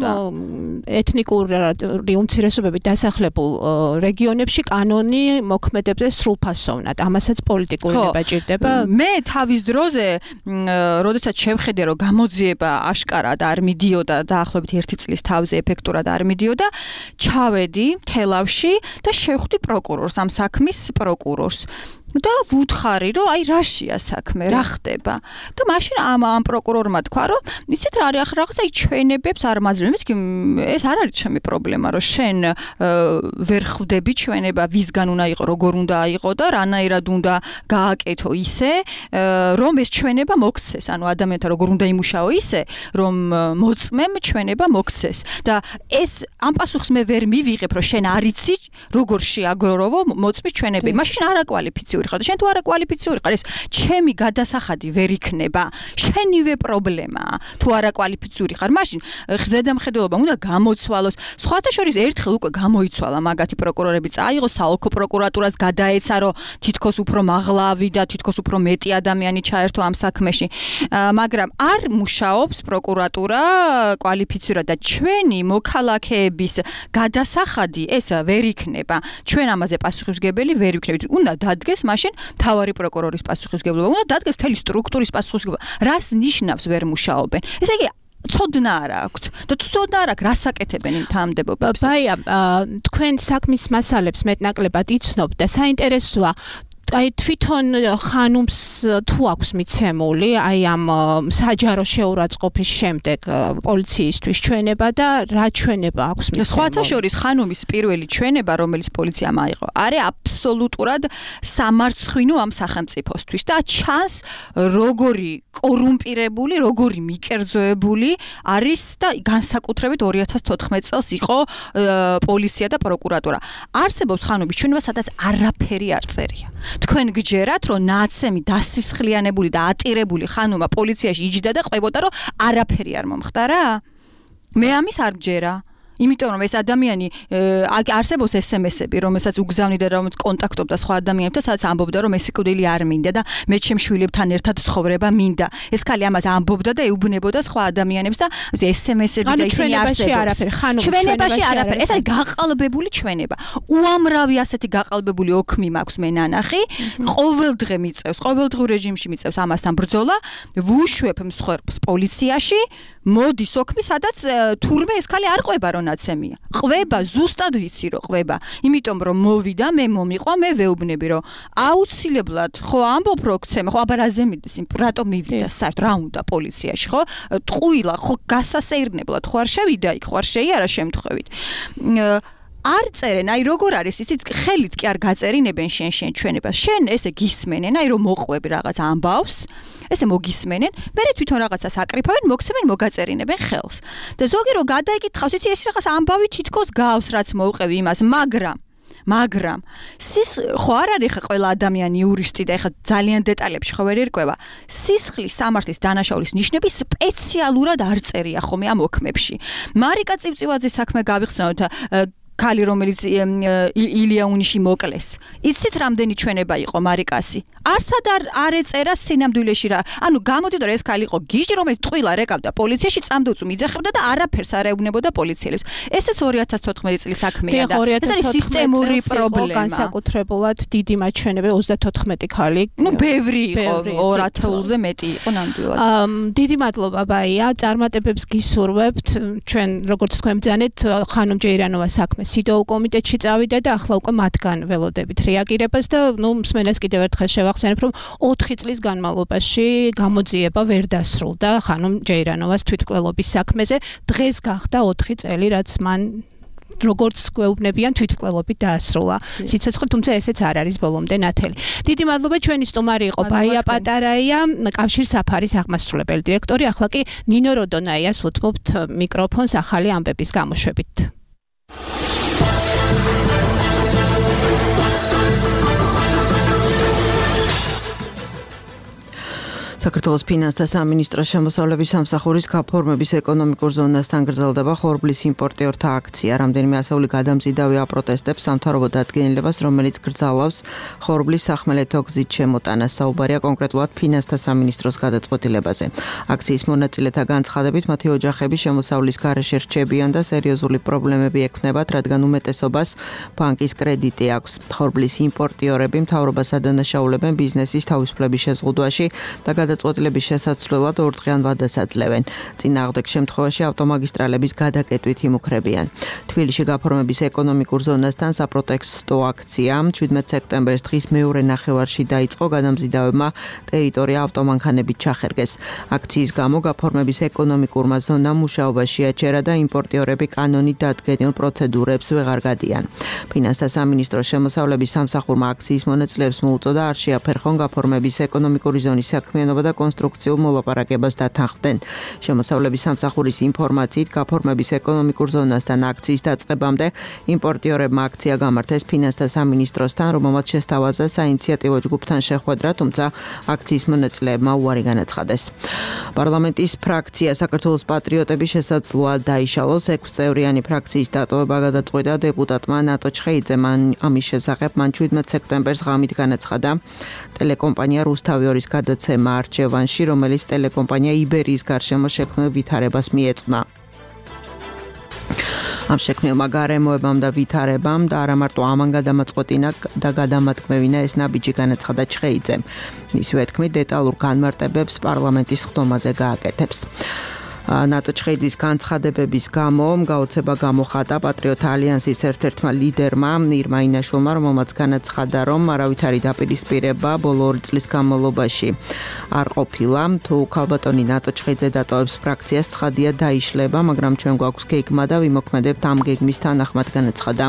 ეთნიკური უმცირესობებით დასახლებულ რეგიონებში კანონი მოქმედებს სრულფასოვნად. ამასაც პოლიტიკური ნება ჭირდება. მე თავის დროზე, როდესაც შევხედე, რომ გამოძიება აშკარად არ მიდიოდა დაახლოებით 1 წლის თავზე ეფექტურად არ მიდიოდა, ჩავედი თელავში და შევხვდი პროკურორს, ამ საქმის პროკურორს. და ვუთხარი, რომ აი რაშია საქმე, რა ხდება. და მაშინ ამ პროკურორმა თქვა, რომ იცით რა არის რაღაცა ჩვენებებს არ მაძლევ. მეთქი ეს არ არის ჩემი პრობლემა, რომ შენ ვერ ხვდები ჩვენება, ვისგან უნდა იყო, როგორ უნდა აიყო და რანაირად უნდა გააკეთო ისე, რომ ეს ჩვენება მოქცეს. ანუ ადამიანთა როგორ უნდა იმუშაო ისე, რომ მოწმემ ჩვენება მოქცეს. და ეს ამ პასუხს მე ვერ მივიღებ, რომ შენ არ იცი, როგორ შეაგროვო მოწმის ჩვენები. მაშინ არაკვალიფიციური ხარ და შენ თუ არაკვალიფიციური ხარ, ეს ჩემი გადასახადი ვერ იქნება. შენივე პრობლემაა. თუ არაკვალიფიციური ხარ, მაშინ ზედამხედველობა უნდა გამოცვალოს. სხვათა შორის ერთხელ უკვე გამოიცვალა მაგათი პროკურორები, წაიღო საოლქო პროკურატურას, გადაეცა, რომ თითქოს უფრო მაღლავი და თითქოს უფრო მეტი ადამიანი ჩაერთო ამ საქმეში. მაგრამ არ მუშაობს პროკურატურა კვალიფიცურად და ჩვენი მოქალაქეების გადასახადი ეს ვერ იქნება. ჩვენ ამაზე პასუხისმგებელი ვერ ვიქნებით. უნდა დადგეს მაშინ მთავარი პროკურორის პასუხისმგებლობა, უნდა დადგეს მთელი სტრუქტურის პასუხისმგებლობა. რას ნიშნავს ვერ მუშაობენ? ესე იგი ცოდნა არ აქვთ და თუ ცოდნა არ აქვს, რას აკეთებენ იმ თანამდებობებს? ბაია, თქვენ საქმის მასალებს მეტნაკლებად იცნობთ და საინტერესოა აი თვითონ ხანუმს თუ აქვს მიცემული აი ამ საჯარო შეურაცხყოფის შემდეგ პოლიციისთვის ჩვენება და რა ჩვენება აქვს მიცემული? სხვათა შორის ხანუმის პირველი ჩვენება, რომელიც პოლიციამ აიღო, არის აბსოლუტურად სამარცხვინო ამ სახელმწიფოსთვის და ჩანს როგორი კორუმპირებული, როგორი მიკერძოებული არის და განსაკუთრებით 2014 წელს იყო პოლიცია და პროკურატურა. არსებობს ხანუმის ჩვენება, სადაც არაფერი არ წერია. თქვენ გჯერათ, რომ ნაცემი დასისხლიანებული და ატირებული ხანუმა პოლიციაში იჯდა და ყვებოდა, რომ არაფერი არ მომხდარა? მე ამის არ გჯერა. იმიტომ რომ ეს ადამიანი არსებობს SMS-ები, რომელსაც უგზავნიდა, რომელიც კონტაქტობდა სხვა ადამიანებთან, სადაც ამბობდა, რომ ეს სიკვდილი არ მინდა და მე ჩემ შვილებთან ერთად ცხოვრება მინდა. ეს ქალი ამას ამბობდა და ეუბნებოდა სხვა ადამიანებს და SMS-ები და ისინი არსებობს. ჩვენებაში არაფერი. ეს არის გაყალბებული ჩვენება. უამრავი ასეთი გაყალბებული ოქმი მაქვს მე ნანახი. ყოველდღე მიწევს, ყოველდღიურ რეჟიმში მიწევს ამასთან ბრძოლა, ვუშვებ მსხვერპლს პოლიციაში. მოდის ოქმი, სადაც თურმე ეს ქალი არ ყვება, რომ ნაცემია. ყვება, ზუსტად ვიცი, რომ ყვება. იმიტომ რომ მოვიდა, მე მომიყვა, მე ვეუბნები, რომ აუცილებლად, ხო ამბობ რო გცემა, ხო აბა რაზე მიდის, რატომ მივიდა საერთოდ, რა უნდა პოლიციაში, ხო? ტყუილა, ხო გასასეირნებლად, ხო არ შევიდა იქ, ხო არ შეიარა შემთხვევით. არ წერენ, აი როგორ არის ისიც ხელით კი არ გაწერინებენ შენ ჩვენებას. შენ ესე გისმენენ, აი რომ მოყვები რაღაც ამბავს, ესე მოგისმენენ, მერე თვითონ რაღაცას აკრიფავენ, მოგცემენ, მოგაწერინებენ ხელს. და ზოგი რო გადაიკითხავს, იცი ეს რაღაც ამბავი თითქოს გავს, რაც მოუყევი იმას, მაგრამ ხო არ არის ხა ყველა ადამიანი იურისტი და ეხა ძალიან დეტალებში ხო ვერ ერკვევა. სისხლის სამართლის დანაშაულის ნიშნები სპეციალურად არ წერია ხოლმე ამ ოქმებში. მარიკა წივწივაძის საქმე გავიხსენოთ, ქალი რომელიც ილიაუნიში მოკლეს. იცით რამდენი ჩვენება იყო მარიკასი? არსად არ ეწერა სინამდვილეში რა. ანუ გამოდიდა რომ ეს ქალი იყო გიჟი, რომელიც ტყუილა რეკავდა პოლიციაში, წამდუწუ მიძახებდა და არაფერს არ ეუბნებოდა პოლიციელებს. ესეც 2014 წლის საქმეა და ეს არის სისტემური პრობლემა. განსაკუთრებულად დიდი მაჩვენებელი 34 ქალი. ნუ ბევრი იყო, 2000-ზე მეტი იყო ნამდვილად. დიდი მადლობა ბაია, წარმატებებს გისურვებთ. ჩვენ როგორც თქვენ ბძანეთ, ხანუმ ჯეირანოვას საქმე სიდოუ კომიტეტში წავიდა და ახლა უკვე მათგან ველოდებით რეაგირებას და მსმენელს კიდევ ერთხელ შევახსენებ, რომ 4 წლის განმავლობაში გამოძიება ვერ დასრულდა ხანუმ ჯეირანოვას თვითმკვლელობის საქმეზე. დღეს გახდა 4 წელი, რაც მან როგორც გვეუბნებიან თვითმკვლელობით დაასრულა. სიცოცხლე, თუმცა ესეც არ არის ბოლომდე ნათელი. დიდი მადლობა, ჩვენი სტუმარი იყო ბაია პატარაია, კავშირ საფარის აღმასრულებელი დირექტორი. ახლა კი ნინო როდონაიას უთმობთ მიკროფონს ახალი ამბების გამოშვებით. საქართველოს ფინანსთა სამინისტროს შემოსავლების სამსახურის გაფორმების ეკონომიკურ ზონასთან გრძელდება ხორბლის იმპორტიორთა აქცია. რამდენიმე ასეული გადამზიდავი აპროტესტებს სამთავრობო დადგენილებას, რომელიც გრძალავს ხორბლის სახმელეთო გზით შემოტანას. საუბარია კონკრეტულად ფინანსთა სამინისტროს გადაწყვეტილებაზე. აქციის მონაწილეთა განცხადებით, მათი ოჯახები შემოსავლის გარეშე რჩებიან და სერიოზული პრობლემები ექნებათ, რადგან უმეტესობას ბანკის კრედიტი აქვს. ხორბლის იმპორტიორები მთავრობას ადანაშაულებენ ბიზნესის თავისუფლების შეზღუდვაში და გადაწყვეტილების შესაცვლელად ორდღიან ვადას აძლევენ. წინააღმდეგ შემთხვევაში ავტომაგისტრალების გადაკეტვით იმუქრებიან. თბილისში გაფორმების ეკონომიკურ ზონასთან საპროტესტო აქცია 17 სექტემბერს დღის მეორე ნახევარში დაიწყო. გადამზიდავებმა ტერიტორია ავტომანქანებით ჩახერგეს. აქციის გამო გაფორმების ეკონომიკურმა ზონამ მუშაობაში აჩერა და იმპორტიორები კანონით დადგენილ პროცედურებს ვეღარ გადიან. ფინანსთა სამინისტროს შემოსავლების სამსახურმა აქციის მონაწილეებს მოუწოდა არ შეაფერხონ გაფორმების ეკონომიკური ზონის საქმიანობა და კონსტრუქციულ მოლაპარაკებას დათანხმდნენ. შემოსავლების სამსახურის ინფორმაციით გაფორმების ეკონომიკურ ზონასთან აქციის დაწყებამდე იმპორტიორებმა აქცია გამართეს ფინანსთა სამინისტროსთან, რომელმაც შესთავაზა საინიციატივო ჯგუფთან შეხვედრა, თუმცა აქციის მონაწილეებმა უარი განაცხადეს. პარლამენტის ფრაქცია საქართველოს პატრიოტების შესაძლოა დაიშალოს. 6 წევრიანი ფრაქციის დატოვება გადაწყვიტა დეპუტატმა ნატო ჩხეიძემ. ამის შესახებ მან 17 სექტემბერს ღამით განაცხადა ტელეკომპანია რუსთავი-2-ის გადაცემა არჩევანში, რომელიც ტელეკომპანია იბერიის გარშემო შექმნილ ვითარებას მიეწვნა. ამ შექმნილმა გარემოებამ და ვითარებამ და არა მარტო ამან გადამაწყვეტინა და გადამატკმევინა ეს ნაბიჯი განაცხადა ჩხეიძემ. მისივე თქმით, დეტალურ განმარტებებს პარლამენტის ხდომაზე გააკეთებს. ნატო ჩხეიძის განცხადებების გამო გაოცება გამოხატა პატრიოტთა ალიანსის ერთ-ერთმა ლიდერმა ირმა ინაშვილმა, რომელმაც განაცხადა, რომ არავითარი დაპირისპირება ბოლო 2 წლის განმავლობაში არ ყოფილა. თუ ქალბატონი ნატო ჩხეიძე დატოვებს ფრაქციას, ცხადია დაიშლება, მაგრამ ჩვენ გვაქვს გეგმა და ვიმოქმედებთ ამ გეგმის თანახმად, განაცხადა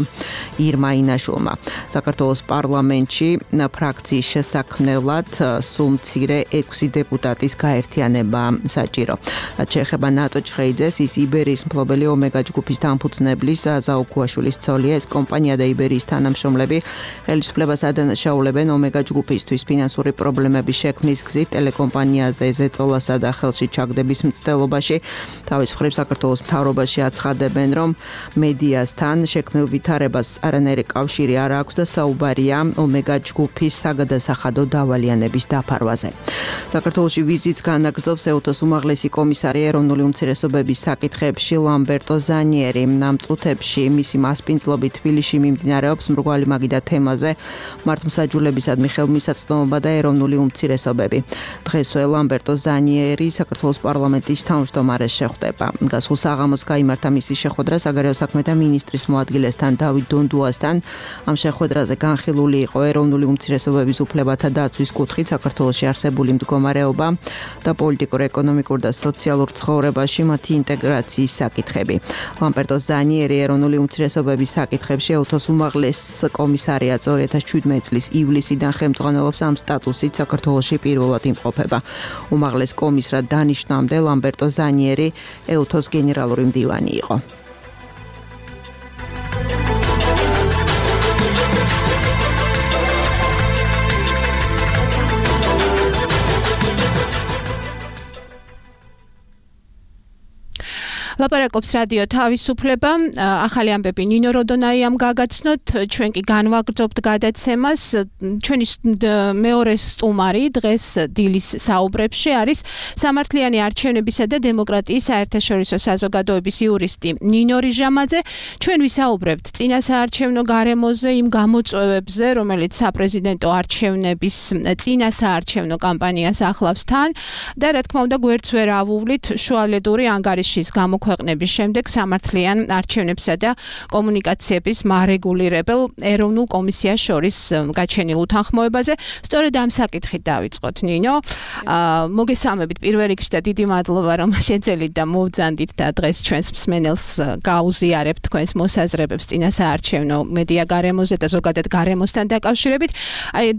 ირმა ინაშვილმა. საქართველოს პარლამენტში ფრაქციის შესაქმნელად სულ მცირე 6 დეპუტატის გაერთიანება საჭირო. რაც შეეხება ეხება ნატო ჩხეიძეს, ის იბერიის მფლობელი ომეგა ჯგუფის დამფუძნებლის ზაო ქუაშვილის ცოლია. ეს კომპანია და იბერიის თანამშრომლები ხელისუფლებას ადანაშაულებენ ომეგა ჯგუფისთვის ფინანსური პრობლემების შექმნის გზით ტელეკომპანიაზე ზეწოლასა და ხელში ჩაგდების მცდელობაში. თავის მხრივ საქართველოს მთავრობაში აცხადებენ, რომ მედიასთან შექმნილ ვითარებას არანაირი კავშირი არ აქვს და საუბარია ომეგა ჯგუფის საგადასახადო დავალიანების დაფარვაზე. საქართველოში ვიზიტს განაგრძობს ეუთოს უმაღლესი კომისარი ეროვნული უმცირესობების საკითხებში ლამბერტო ზანიერი. ამ წუთებში მისი მასპინძლობით თბილისში მიმდინარეობს მრგვალი მაგიდა თემაზე მართლმსაჯულებისადმი ხელმისაწვდომობა და ეროვნული უმცირესობები. დღესვე ლამბერტო ზანიერი საქართველოს პარლამენტის თავმჯდომარეს შეხვდება. გასულ საღამოს გაიმართა მისი შეხვედრა საგარეო საქმეთა მინისტრის მოადგილესთან დავით დონდუასთან. ამ შეხვედრაზე განხილული იყო ეროვნული უმცირესობების უფლებათა დაცვის კუთხით საქართველოში არსებული მდგომარეობა და პოლიტიკურ, ეკონომიკურ და სოციალურ ცხოვრებაში მათი ინტეგრაციის საკითხები. ლამბერტო ზანიერი ეროვნული უმცირესობების საკითხებში ეუთოს უმაღლეს კომისარიატს 2017 წლის ივლისიდან ხელმძღვანელობს ამ სტატუსით საქართველოში პირველად იმყოფება. უმაღლეს კომისრად დანიშნვამდე ლამბერტო ზანიერი ეუთოს გენერალური მდივანი იყო. ლაპარაკობს რადიო თავისუფლება. ახალი ამბები ნინო როდონაიამ გაგაცნოთ. ჩვენ კი განვაგრძობთ გადაცემას. ჩვენი მეორე სტუმარი დღეს დილის საუბრებში არის სამართლიანი არჩევნებისა და დემოკრატიის საერთაშორისო საზოგადოების იურისტი ნინო რიჟამაძე. ჩვენ ვისაუბრებთ წინასაარჩევნო გარემოზე, იმ გამოწვევებზე, რომელიც საპრეზიდენტო არჩევნების წინასაარჩევნო კამპანიას ახლავს თან და რა თქმა უნდა გვერდს ვერ ავუვლით შუალედური ანგარიშის გამოქვეყნების შემდეგ სამართლიან არჩევნებსა და კომუნიკაციების მარეგულირებელ ეროვნულ კომისიას შორის გაჩენილ უთანხმოებაზე. სწორედ ამ საკითხით დავიწყოთ ნინო. მოგესალმებით პირველ რიგში და დიდი მადლობა რომ შეძელით და მოვძანდით და დღეს ჩვენს მსმენელს გაუზიარებთ თქვენს მოსაზრებებს წინასაარჩევნო მედია გარემოზე და ზოგადად გარემოსთან დაკავშირებით.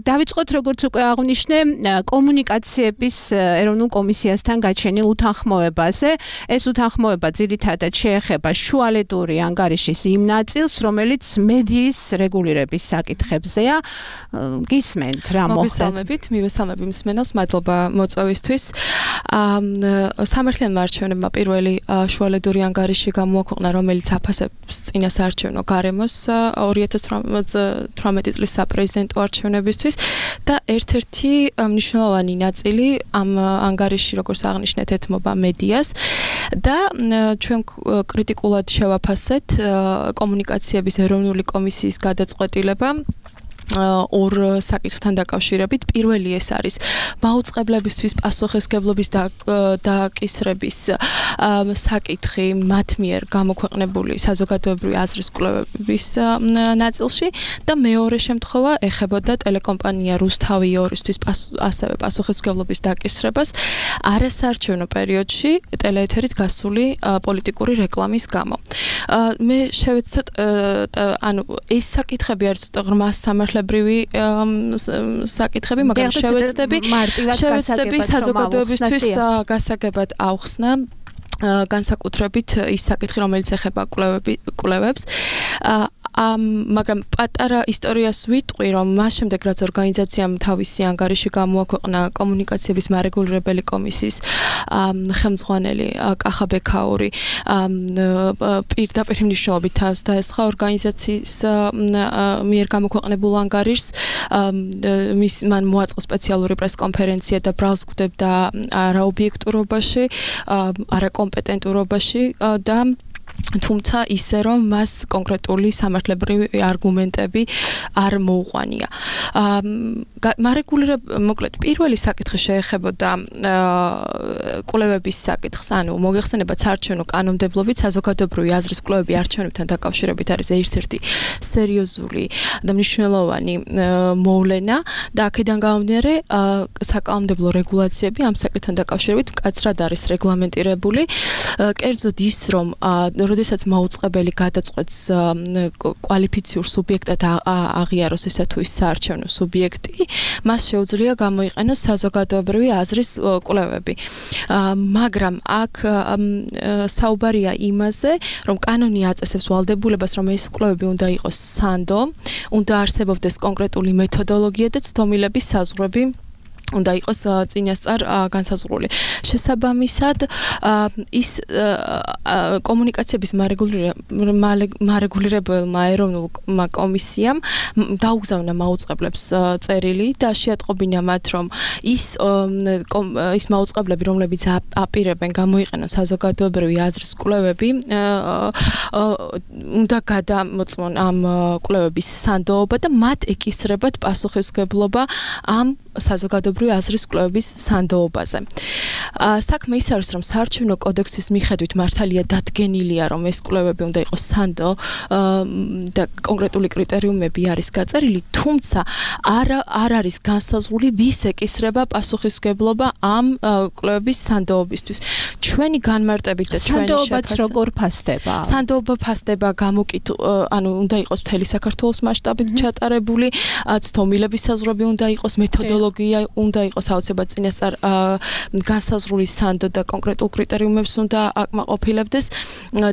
დავიწყოთ როგორც უკვე აღვნიშნე კომუნიკაციების ეროვნულ კომისიასთან გაჩენილ უთანხმოებაზე. ეს უთანხმოება ძირითადად შეეხება შუალედური ანგარიშის იმ ნაწილს, რომელიც მედიის რეგულირების საკითხებზეა. გისმენთ რა მოხდა? მოგესალმებით, მივესალმები მსმენელს, მადლობა მოწვევისთვის. სამართლიანმა არჩევნებმა პირველი შუალედური ანგარიში გამოაქვეყნა, რომელიც აფასებს წინასაარჩევნო გარემოს 2018 წლის საპრეზიდენტო არჩევნებისთვის და ერთ-ერთი მნიშვნელოვანი ნაწილი ამ ანგარიში, როგორც აღნიშნეთ, ეთმობა მედიას და ჩვენ კრიტიკულად შევაფასეთ კომუნიკაციების ეროვნული კომისიის გადაწყვეტილება ორ საკითხთან დაკავშირებით. პირველი ეს არის მაუწყებლებისთვის პასუხისმგებლობის დაკისრების საკითხი მათ მიერ გამოქვეყნებული საზოგადოებრივი აზრის კვლევების ნაწილში და მეორე შემთხვევა ეხებოდა ტელეკომპანია რუსთავი 2-ისთვის ასევე პასუხისმგებლობის დაკისრებას არასაარჩევნო პერიოდში ტელეეთერით გასული პოლიტიკური რეკლამის გამო. მე შევეცდოთ ეს საკითხები არის ღრმა სამართლებრივი საკითხები, მაგრამ შევეცდები საზოგადოებისთვის გასაგებად ავხსნა განსაკუთრებით ის საკითხი, რომელიც ეხება კვლევებს. მაგრამ პატარა ისტორიას ვიტყვი, რომ მას შემდეგ რაც ორგანიზაციამ თავისი ანგარიში გამოაქვეყნა კომუნიკაციების მარეგულირებელი კომისიის ხელმძღვანელი კახა ბექაური პირდაპირ მნიშვნელობით თავს დაესხა ორგანიზაციის მიერ გამოქვეყნებულ ანგარიშს. მან მოაწყო სპეციალური პრესკონფერენცია და ბრალს გვხვდება არაობიექტურობაში, არაკომპეტენტურობაში და თუმცა ისე რომ მას კონკრეტული სამართლებრივი არგუმენტები არ მოუყვანია. მოკლედ პირველი საკითხი შეეხებოდა კვლევების საკითხს, ანუ მოგეხსენებათ საარჩევნო კანონმდებლობით საზოგადოებრივი აზრის კვლევები არჩევნებთან დაკავშირებით არის ერთ-ერთი სერიოზული და მნიშვნელოვანი მოვლენა და აქედან გამომდინარე საკანონმდებლო რეგულაციები ამ საკითხთან დაკავშირებით მკაცრად არის რეგლამენტირებული. კერძოდ ის რომ როდესაც მაუწყებელი გადაწყვეტს კვალიფიციურ სუბიექტად აღიაროს ესა თუ ის საარჩევნო სუბიექტი, მას შეუძლია გამოიყენოს საზოგადოებრივი აზრის კვლევები. მაგრამ აქ საუბარია იმაზე, რომ კანონი აწესებს ვალდებულებას, რომ ეს კვლევები უნდა იყოს სანდო, უნდა არსებობდეს კონკრეტული მეთოდოლოგია და ცდომილების საზღვრები უნდა იყოს წინასწარ განსაზღვრული. შესაბამისად, ის კომუნიკაციების მარეგულირებელმა ეროვნულმა კომისიამ დაუგზავნა მაუწყებლებს წერილი და შეატყობინა მათ, რომ ის მაუწყებლები, რომლებიც აპირებენ გამოიყენოს საზოგადოებრივი აზრის კვლევები, უნდა გადამოწმონ ამ კვლევების სანდოობა და მათ ეკისრებათ პასუხისმგებლობა ამ საზოგადოებრივი აზრის კვლევების სანდოობაზე. საქმე ის არის, რომ საარჩევნო კოდექსის მიხედვით მართალია დადგენილია, რომ ეს კვლევები უნდა იყოს სანდო და კონკრეტული კრიტერიუმები არის გაწერილი, თუმცა არ არის განსაზღვრული, ვის ეკისრება პასუხისმგებლობა ამ კვლევების სანდოობისთვის. ჩვენი განმარტებით და ჩვენი სანდოობაც როგორ ფასდება? სანდოობა ფასდება უნდა იყოს მთელი საქართველოს მასშტაბით ჩატარებული, ცდომილების საზღვრები უნდა იყოს, მეთოდოლოგია უნდა იყოს აუცილებლად წინასწარ განსაზღვრული სანდო და კონკრეტულ კრიტერიუმებს უნდა აკმაყოფილებდეს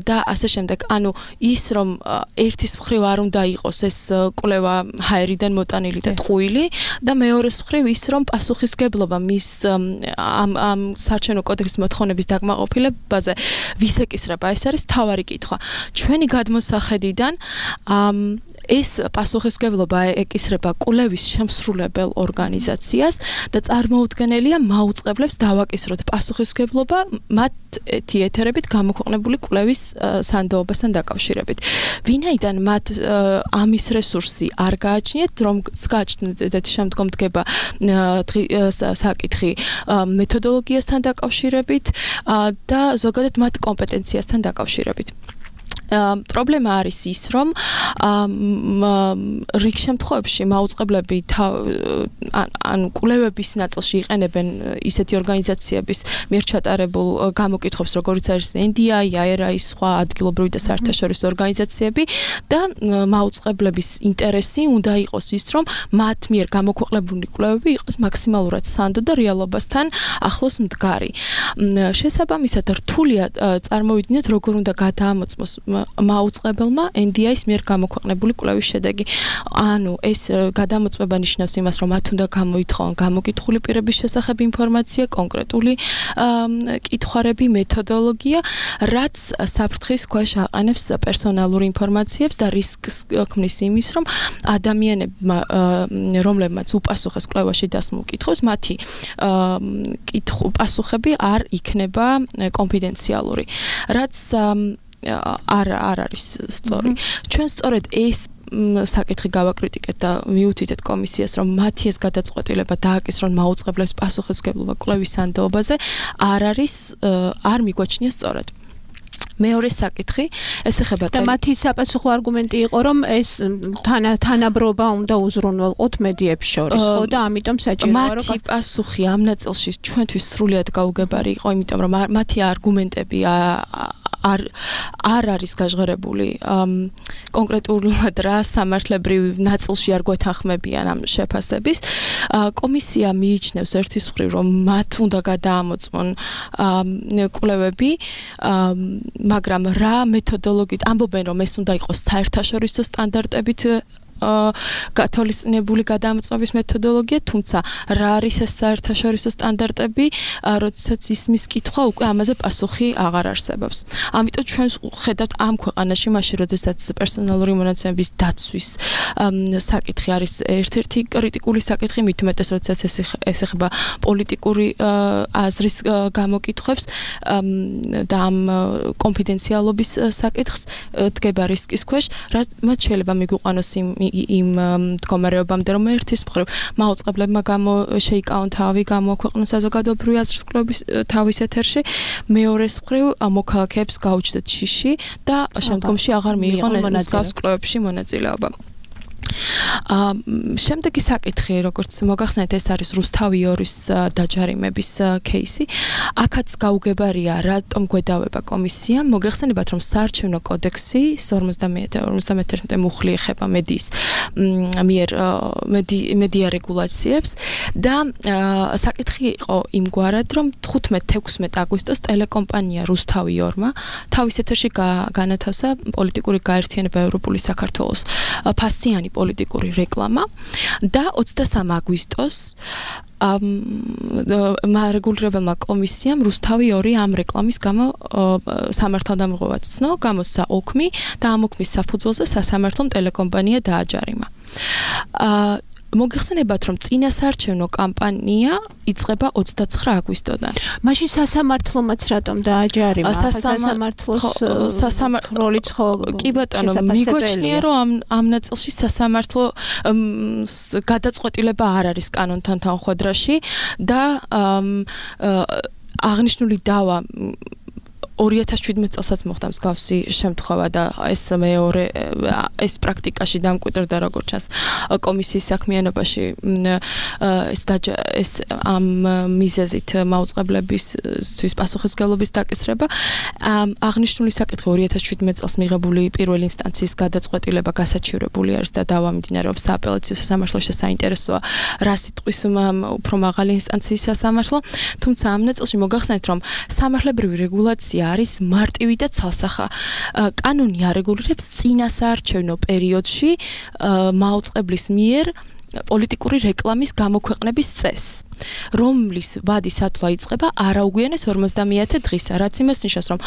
და ასე შემდეგ. ანუ ის რომ ერთის მხრივ არ უნდა იყოს ეს კვლევა ჰაერიდან მოტანილი და ტყუილი და მეორეს მხრივ ის რომ პასუხისმგებლობა მის ამ საარჩევნო კოდექსის მოთხოვნების დაკმაყოფილებაზე ვის ეკისრება, ეს არის მთავარი კითხვა. ჩვენი გადმოსახედიდან ეს პასუხისმგებლობა ეკისრება კვლევის შემსრულებელ ორგანიზაციას და წარმოუდგენელია მაუწყებლებს დავაკისროთ პასუხისმგებლობა მათი ეთერებით გამოქვეყნებული კვლევის სანდოობასთან დაკავშირებით. ვინაიდან მათ ამის რესურსი არ გააჩნიათ, რომ გააჩნდეთ შემდგომ დგება საკითხი მეთოდოლოგიასთან დაკავშირებით და ზოგადად მათ კომპეტენციასთან დაკავშირებით. პრობლემა არის ის, რომ რიგ შემთხვევებში მაუწყებლები ანუ კვლევების ნაწილში იყენებენ ისეთი ორგანიზაციების მიერ ჩატარებულ გამოკითხვებს, როგორიც არის NDI, IRI, სხვა ადგილობრივი და საერთაშორისო ორგანიზაციები და მაუწყებლების ინტერესი უნდა იყოს ის, რომ მათ მიერ გამოქვეყნებული კვლევები იყოს მაქსიმალურად სანდო და რეალობასთან ახლოს მდგარი. შესაბამისად, რთულია წარმოვიდგინოთ, როგორ უნდა გადაამოწმოს მაუწყებელმა NDI-ის მიერ გამოქვეყნებული კვლევის შედეგი. ანუ ეს გადამოწმება ნიშნავს იმას, რომ მათ უნდა გამოითხოვონ გამოკითხული პირების შესახებ ინფორმაცია, კონკრეტული კითხვარები, მეთოდოლოგია, რაც საფრთხის ქვეშ აყენებს პერსონალურ ინფორმაციებს და რისკს ქმნის იმის, რომ ადამიანებმა, რომლებმაც უპასუხეს კვლევაში დასმულ კითხვებს, მათი პასუხები არ იქნება კონფიდენციალური. რაც არ არის სწორი. ჩვენ სწორედ ეს საკითხი გავაკრიტიკეთ და მიუთითეთ კომისიას, რომ მათი ეს გადაწყვეტილება დააკისრონ მაუწყებლებს პასუხისმგებლობა კვლევის სანდოობაზე არ მიგვაჩნია სწორად. მეორე საკითხი, ეს ეხება და მათი საპასუხო არგუმენტი იყო, რომ ეს თანაბრობა უნდა უზრუნველყოთ მედიებს შორის, ხო და ამიტომ საჭიროა რომ მათი პასუხი ამ ნაწილში ჩვენთვის სრულიად გაუგებარი იყო, იმიტომ რომ მათი არგუმენტები არ არის გაჟღერებული კონკრეტულად რა სამართლებრივ ნაწილში არ გვეთანხმებიან ამ შეფასების. კომისია მიიჩნევს ერთის მხრივ, რომ მათ უნდა გადაამოწმონ კვლევები, მაგრამ რა მეთოდოლოგიით ამბობენ, რომ ეს უნდა იყოს საერთაშორისო სტანდარტებით გათვალისწინებული გადამოწმების მეთოდოლოგია, თუმცა რა არის ეს საერთაშორისო სტანდარტები, როდესაც ისმის კითხვა, უკვე ამაზე პასუხი აღარ არსებობს. ამიტომ ჩვენ ხედავთ ამ ქვეყანაში, მაშინ როდესაც პერსონალური მონაცემების დაცვის საკითხი არის ერთ-ერთი კრიტიკული საკითხი, მით უმეტეს როდესაც ეს ეხება პოლიტიკური აზრის გამოკითხვებს და ამ კონფიდენციალობის საკითხს, დგება რისკის ქვეშ, რაც შეიძლება მიგვიყვანოს იმ მდგომარეობამდე, რომ ერთის მხრივ მაუწყებლებმა შეიკავონ თავი, გამოაქვეყნონ საზოგადოებრივი აზრის კვლევის თავის ეთერში, მეორეს მხრივ მოქალაქეებს გაუჩნდათ შიში და შემდგომში აღარ მიიღონ მსგავს კვლევებში მონაწილეობა. შემდეგი საკითხი, როგორც მოგახსენეთ, ეს არის რუსთავი 2-ის დაჯარიმების кейსი. აქაც გაუგებარია, რატომ გვედავება კომისია. მოგახსენებათ, რომ საარჩევნო კოდექსი 51 მუხლი ეხება მედიის მიერ მედია რეგულაციებს და საკითხი იყო იმგვარად, რომ 15-16 აგვისტოს ტელეკომპანია რუსთავი 2-მა თავის ეთერში განათავსა პოლიტიკური გაერთიანება ევროპული საქართველოს ფასიანი პოლიტიკური რეკლამა და 23 აგვისტოს რეგულირებელმა კომისიამ რუსთავი 2 ამ რეკლამის გამო სამართალდამღვრად ცნო, გამოსცა ოქმი და ამ ოქმის საფუძველზე სასამართლომ ტელეკომპანია დააჯარიმა. მოგეხსენებათ, რომ წინასაარჩევნო კამპანია იწყება 29 აგვისტოდან. მაშინ სასამართლომაც რატომ დააჯარიმა? სასამართლოს როლიც ხო? კი ბატონო, მიგვაჩნია, რომ ამ ნაწილში სასამართლო გადაწყვეტილება არ არის კანონთან თანხვედრაში და აღნიშნული დავა 2017 წელსაც მოხდა მსგავსი შემთხვევა და ეს პრაქტიკაში დამკვიდრდა როგორც ჩანს კომისიის საქმიანობაში ეს ამ მიზეზით მაუწყებლებისთვის პასუხისმგებლობის დაკისრება. აღნიშნული საკითხი 2017 წელს მიღებული პირველი ინსტანციის გადაწყვეტილება გასაჩივრებული არის და დავა მიმდინარეობს სააპელაციო სასამართლოში. საინტერესოა რა სიტყვის უფრო მაღალი ინსტანციის სასამართლო, თუმცა ამ ნაწილში მოგახსენეთ, რომ სამართლებრივი რეგულაცია არის მარტივი და ცალსახა. კანონი არეგულირებს წინასაარჩევნო პერიოდში მაუწყებლის მიერ პოლიტიკური რეკლამის გამოქვეყნების წესს, რომლის ვადის ათვლა იწყება არაუგვიანეს 50 დღისა, რაც იმას ნიშნავს, რომ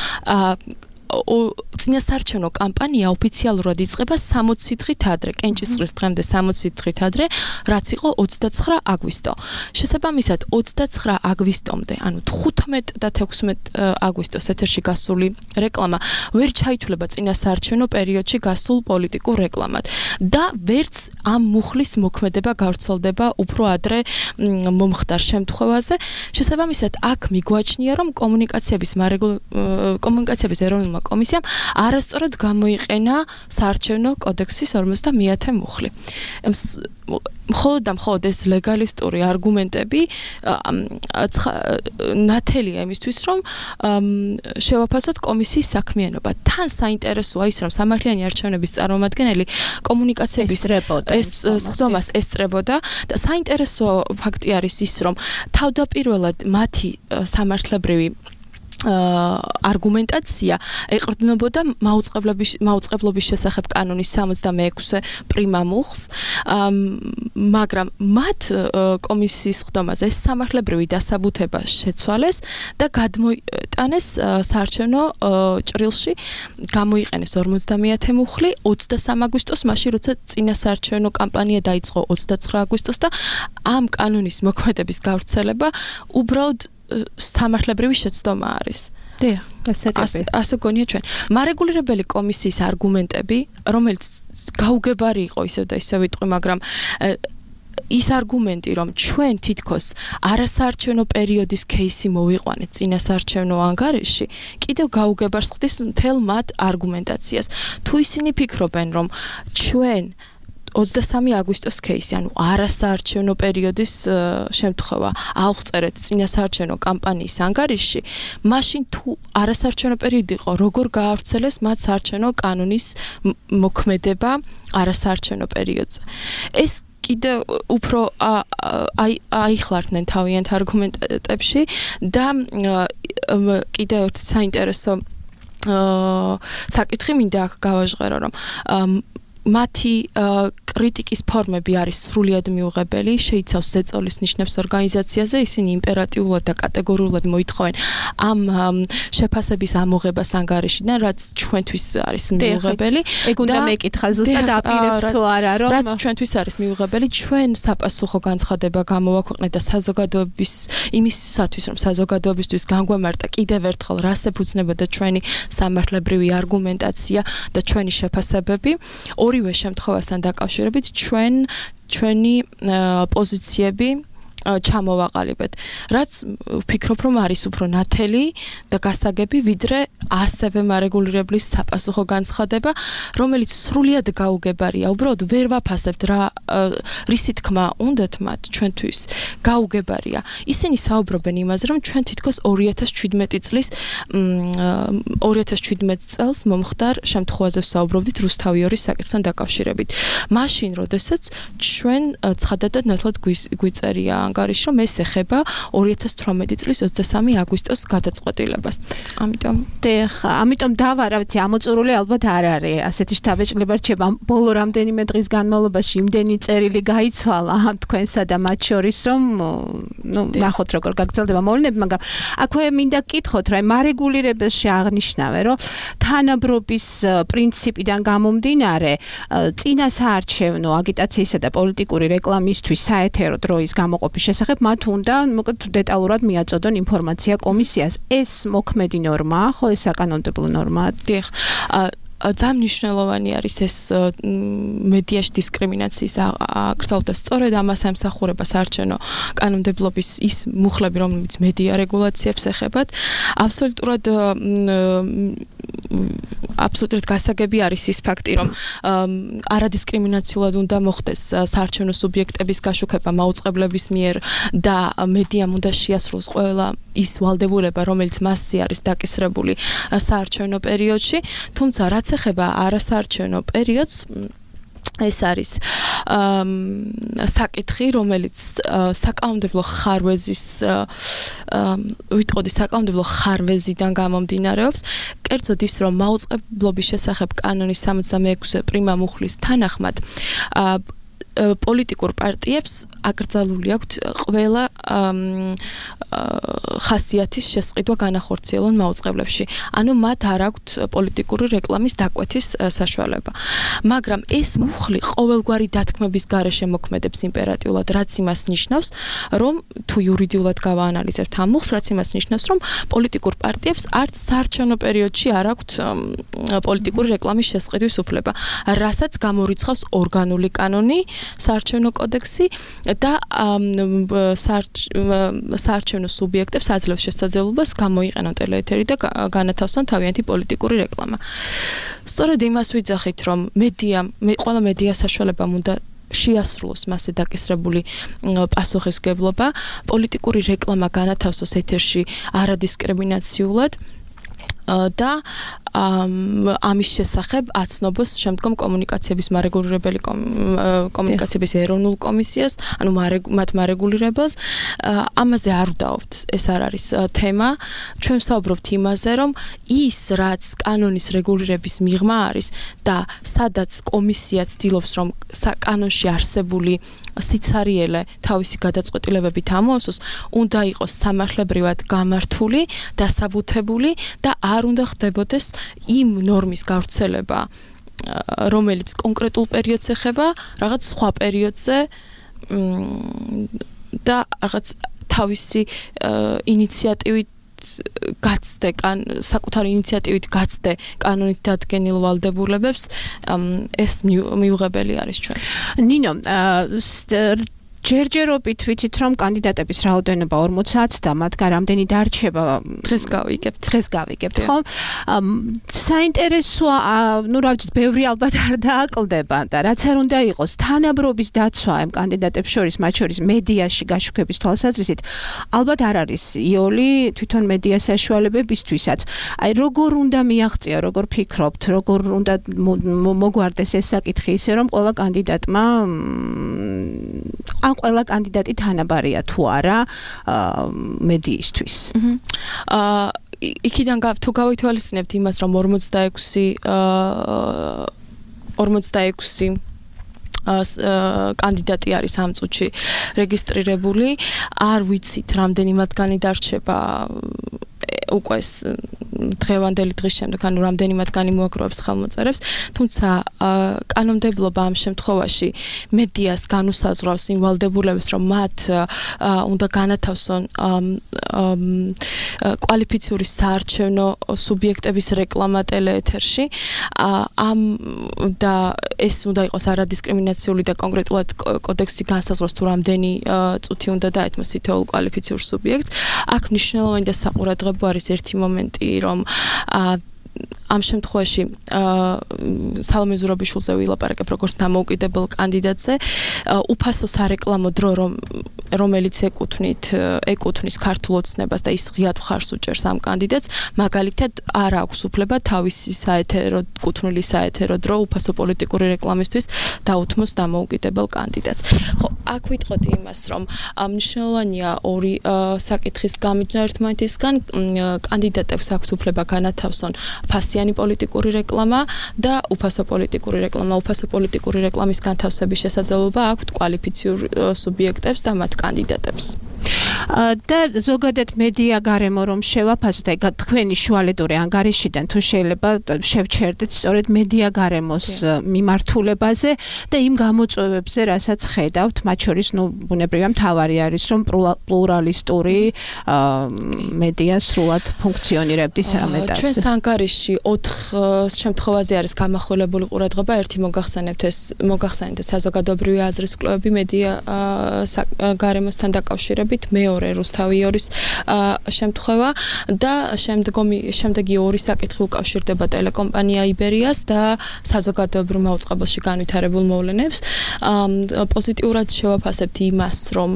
წინასაარჩევნო კამპანია ოფიციალურად იწყება 60 დღით ადრე, კენჭისყრის დღემდე 60 დღით ადრე, რაც იყო 29 აგვისტო. შესაბამისად 29 აგვისტომდე, ანუ 15 და 16 აგვისტოს ეთერში გასული რეკლამა ვერ ჩაითვლება წინასაარჩევნო პერიოდში გასულ პოლიტიკურ რეკლამად და ვერც ამ მუხლის მოქმედება გავრცელდება უფრო ადრე მომხდარ შემთხვევაზე. შესაბამისად აქ მიგვაჩნია, რომ კომუნიკაციების ეროვნულმა კომისიამ არასწორად გამოიყენა საარჩევნო კოდექსის 50 მუხლი. მხოლოდ ეს ლეგალისტური არგუმენტები ნათელია იმისთვის, რომ შევაფასოთ კომისიის საქმიანობა. თან საინტერესოა ის, რომ სამართლიანი არჩევნების წარმომადგენელი კომუნიკაციების სხდომას ესწრებოდა და საინტერესო ფაქტი არის ის, რომ თავდაპირველად მათი სამართლებრივი არგუმენტაცია ეყრდნობოდა მაუწყებლობის შესახებ კანონის 66 პრიმა მუხლს, მაგრამ მათ კომისიის ხდომაზე სამართლებრივი დასაბუთება შეცვალეს და გადმოიტანეს საარჩევნო ჭრილში, გამოიყენეს 50 მუხლი 23 აგვისტოს, მაშინ როცა წინასაარჩევნო კამპანია დაიწყო 29 აგვისტოს და ამ კანონის მოქმედების გავრცელება უბრალოდ სამართლებრივი შეცდომა არის. დიახ, გასაგები. ასე გონია ჩვენ. მარეგულირებელი კომისიის არგუმენტები, რომელიც გაუგებარი იყო ისევ და ისევ ვიტყვი, მაგრამ ის არგუმენტი, რომ ჩვენ თითქოს არასაარჩევნო პერიოდის кейსი მოვიყვანეთ წინასაარჩევნო ანგარიშში, კიდევ გაუგებარს ხდის მთელ მათ არგუმენტაციას. თუ ისინი ფიქრობენ, რომ ჩვენ 23 აგვისტოს кейსი, ანუ არასაარჩევნო პერიოდის შემთხვევა ავღწერეთ წინასაარჩევნო კამპანიის ანგარიშში, მაშინ თუ არასაარჩევნო პერიოდი იყო, როგორ გაავრცელეს მათ საარჩევნო კანონის მოქმედება არასაარჩევნო პერიოდზე. ეს კიდევ უფრო აიხლარდნენ თავიანთ არგუმენტებში და კიდევ ერთი საინტერესო საკითხი მინდა აქ გავაჟღერო, რომ მათი კრიტიკის ფორმები არის სრულიად მიუღებელი, შეიცავს ზეწოლის ნიშნებს ორგანიზაციაზე, ისინი იმპერატიულად და კატეგორიულად მოითხოვენ ამ შეფასების ამოღებას ანგარიშიდან, რაც ჩვენთვის არის მიუღებელი. ეგ უნდა მეკითხა ზუსტად აპირებთ თუ არა, რომ რაც ჩვენთვის არის მიუღებელი, ჩვენ საპასუხო განცხადება გამოვაქვეყნეთ და საზოგადოების იმისათვის, რომ საზოგადოებისთვის განგვემართა კიდევ ერთხელ რას ეფუძნებოდა ჩვენი სამართლებრივი არგუმენტაცია და ჩვენი შეფასებები. ორივე შემთხვევასთან დაკავშირებით ჩვენი პოზიციები ჩამოვაყალიბეთ. რაც ვფიქრობ, რომ არის უფრო ნათელი და გასაგები, ვიდრე ასევე მარეგულირებლის საპასუხო განცხადება, რომელიც სრულიად გაუგებარია. უბრალოდ ვერ ვაფასებთ რა რისი თქმა უნდათ მათ ჩვენთვის გაუგებარია. ისინი საუბრობენ იმაზე, რომ ჩვენ თითქოს 2017 წელს მომხდარ შემთხვევაზე ვსაუბრობდით რუსთავიორის საკითხთან დაკავშირებით. მაშინ, როდესაც ჩვენ ცხადადად ნათლად გვიწერია ანგარიში, რომ ეს ეხება 2018 წლის 23 აგვისტოს გადაწყვეტილებას. ამიტომ დავა, რა ვიცი, ამოწურული ალბათ არ არის. ასეთი შთაბეჭდილება რჩება. ბოლო რამდენიმე დღის განმავლობაში იმდენი წერილი გაიცვალა თქვენსა და მათ შორის, რომ ნახოთ როგორ გაგრძელდება მოვლენები, მაგრამ აქვე მინდა გკითხოთ, რა მარეგულირებელში აღნიშნავენ, რომ თანაბრობის პრინციპიდან გამომდინარე, წინასაარჩევნო აგიტაციისა და პოლიტიკური რეკლამისთვის საეთერო დროის გამოყოფის შესახებ მათ უნდა მოკლედ დეტალურად მიაწოდონ ინფორმაცია კომისიას. ეს მოქმედი ნორმაა, ხო, ეს საკანონმდებლო ნორმაა? დიახ. ძალიან მნიშვნელოვანი არის ეს მედიაში დისკრიმინაციის აკრძალვა. სწორედ ამას ემსახურება საარჩევნო კანონმდებლობის ის მუხლები, რომლებიც მედია რეგულაციებს ეხებათ. აბსოლუტურად გასაგები არის ის ფაქტი, რომ არადისკრიმინაციულად უნდა მოხდეს საარჩევნო სუბიექტების გაშუქება მაუწყებლების მიერ და მედიამ უნდა შეასრულოს ყველა ის ვალდებულება, რომელიც მასზე არის დაკისრებული საარჩევნო პერიოდში, თუმცა რაც ეხება არასაარჩევნო პერიოდს, ეს არის საკითხი, რომელიც საკანონმდებლო ხარვეზის ვიტყოდი საკანონმდებლო ხარვეზიდან გამომდინარეობს. კერძოდ ის, რომ მაუწყებლობის შესახებ კანონის 66 პრიმა მუხლის თანახმად პოლიტიკურ პარტიებს აკრძალული აქვთ ყველა ხასიათის შესყიდვა განახორციელონ მაუწყებლებში. ანუ მათ არ აქვთ პოლიტიკური რეკლამის დაკვეთის საშუალება. მაგრამ ეს მუხლი ყოველგვარი დათქმების გარეშე მოქმედებს იმპერატიულად, რაც იმას ნიშნავს, რომ თუ იურიდიულად გავაანალიზებთ ამ მუხლს, რაც იმას ნიშნავს, რომ პოლიტიკურ პარტიებს არც საარჩევნო პერიოდში არ აქვთ პოლიტიკური რეკლამის შესყიდვის უფლება, რასაც გამორიცხავს ორგანული კანონი, საარჩევნო კოდექსი და საარჩევნო სუბიექტებს აძლევს შესაძლებლობას გამოიყენონ ტელეეთერი და განათავსონ თავიანთი პოლიტიკური რეკლამა. სწორედ იმას ვიძახით, რომ ყველა მედია საშუალებამ უნდა შეასრულოს მასზე დაკისრებული პასუხისმგებლობა, პოლიტიკური რეკლამა განათავსოს ეთერში არადისკრიმინაციულად და ამის შესახებ აცნობს შემდგომ კომუნიკაციების მარეგულირებელი კომუნიკაციების ეროვნულ კომისიას, ანუ მათ მარეგულირებელს. ამაზე არ ვდაობთ, ეს არ არის თემა. ჩვენ ვსაუბრობთ იმაზე, რომ ის, რაც კანონის რეგულირების მიღმა არის და სადაც კომისია ცდილობს, რომ კანონში არსებული სიცარიელე თავისი გადაწყვეტილებებით ამოასოს, უნდა იყოს სამართლებრივად გამართული, დასაბუთებული და არ უნდა ხდებოდეს იმ ნორმის გავრცელება, რომელიც კონკრეტულ პერიოდს ეხება, რაღაც სხვა პერიოდზე და რაღაც თავისი ინიციატივით საკუთარი ინიციატივით გაცდე კანონით დადგენილ ვალდებულებებს, ეს მიუღებელი არის ჩვენთვის. ნინო, ჯერჯერობით ვიცით, რომ კანდიდატების რაოდენობა 40-ს და მათგან რამდენი დარჩება დღეს გავიგებთ, ხო? საინტერესოა, რა ვიცი, ბევრი ალბათ არ დააკლდება და რაც არ უნდა იყოს, თანაბრობის დაცვა ამ კანდიდატებს შორის, მათ შორის მედიაში გაშუქების თვალსაზრისით, ალბათ არ არის იოლი თვითონ მედია საშუალებებისთვისაც. აი, როგორ უნდა მიაღწია, როგორ ფიქრობთ, როგორ უნდა მოგვარდეს ეს საკითხი ისე, რომ ყველა კანდიდატმა ყველა კანდიდატი თანაბარია თუ არა მედიისთვის. იქიდან თუ გავითვალისწინებთ იმას, რომ 46 კანდიდატი არის ამ წუთში რეგისტრირებული, არ ვიცით რამდენი მათგანი დარჩება უკვე დღევანდელი დღის შემდეგ ანუ რამდენი მათგანი მოაგროვებს ხელმოწერებს, თუმცა კანონმდებლობა ამ შემთხვევაში მედიას განუსაზღვრავს იმ ვალდებულებას, რომ მათ უნდა განათავსონ კვალიფიციური საარჩევნო სუბიექტების რეკლამა ტელეეთერში. და ეს უნდა იყოს არადისკრიმინაციული და კონკრეტულად კოდექსი განსაზღვროს თუ რამდენი წუთი უნდა დაეთმოს თითოეულ კვალიფიციურ სუბიექტს. აქ მნიშვნელოვანი და საყურადღებო არის ერთი მომენტი, რომ ამ შემთხვევაში სალომე ზურაბიშვილზე ვილაპარაკებ როგორც დამოუკიდებელ კანდიდატზე, უფასო სარეკლამო დრო რომელიც ეკუთვნის ქართულ ოცნებას და ის ღიად მხარს უჭერს ამ კანდიდატს, მაგალითად არ აქვს უფლება თავისი საეთერო კუთვნილი საეთერო დრო უფასო პოლიტიკური რეკლამისთვის დაუთმოს დამოუკიდებელ კანდიდატს. ხო, აქ ვიტყოდი იმას, რომ მნიშვნელოვანია ორი საკითხის გამიჯნა ერთმანეთისგან, კანდიდატებს აქვთ უფლება განათავსონ ფასიანი პოლიტიკური რეკლამა და უფასო პოლიტიკური რეკლამა. უფასო პოლიტიკური რეკლამის განთავსების შესაძლებლობა აქვთ კვალიფიციურ სუბიექტებს და მათ კანდიდატებს. და ზოგადად მედია გარემო რომ შევაფასოთ, აი თქვენი შუალედური ანგარიშიდან თუ შეიძლება შევჩერდეთ სწორედ მედია გარემოს მიმართულებაზე და იმ გამოწვევებზე, რასაც ხედავთ, მათ შორის ბუნებრივია მთავარი არის, რომ პლურალისტური მედია სრულად ფუნქციონირებდეს ამ ეტაპზე. ჩვენს ანგარიშში 4 შემთხვევაზე არის გამახვილებული ყურადღება. ერთი მოგახსენებთ საზოგადოებრივი აზრის კვლევები მედია გარემოსთან დაკავშირებით, მეორე რუსთავიორის შემთხვევა და შემდეგი ორი საკითხი უკავშირდება ტელეკომპანია იბერიას და საზოგადოებრივ მაუწყებელში განვითარებულ მოვლენებს. პოზიტიურად შევაფასებთ იმას, რომ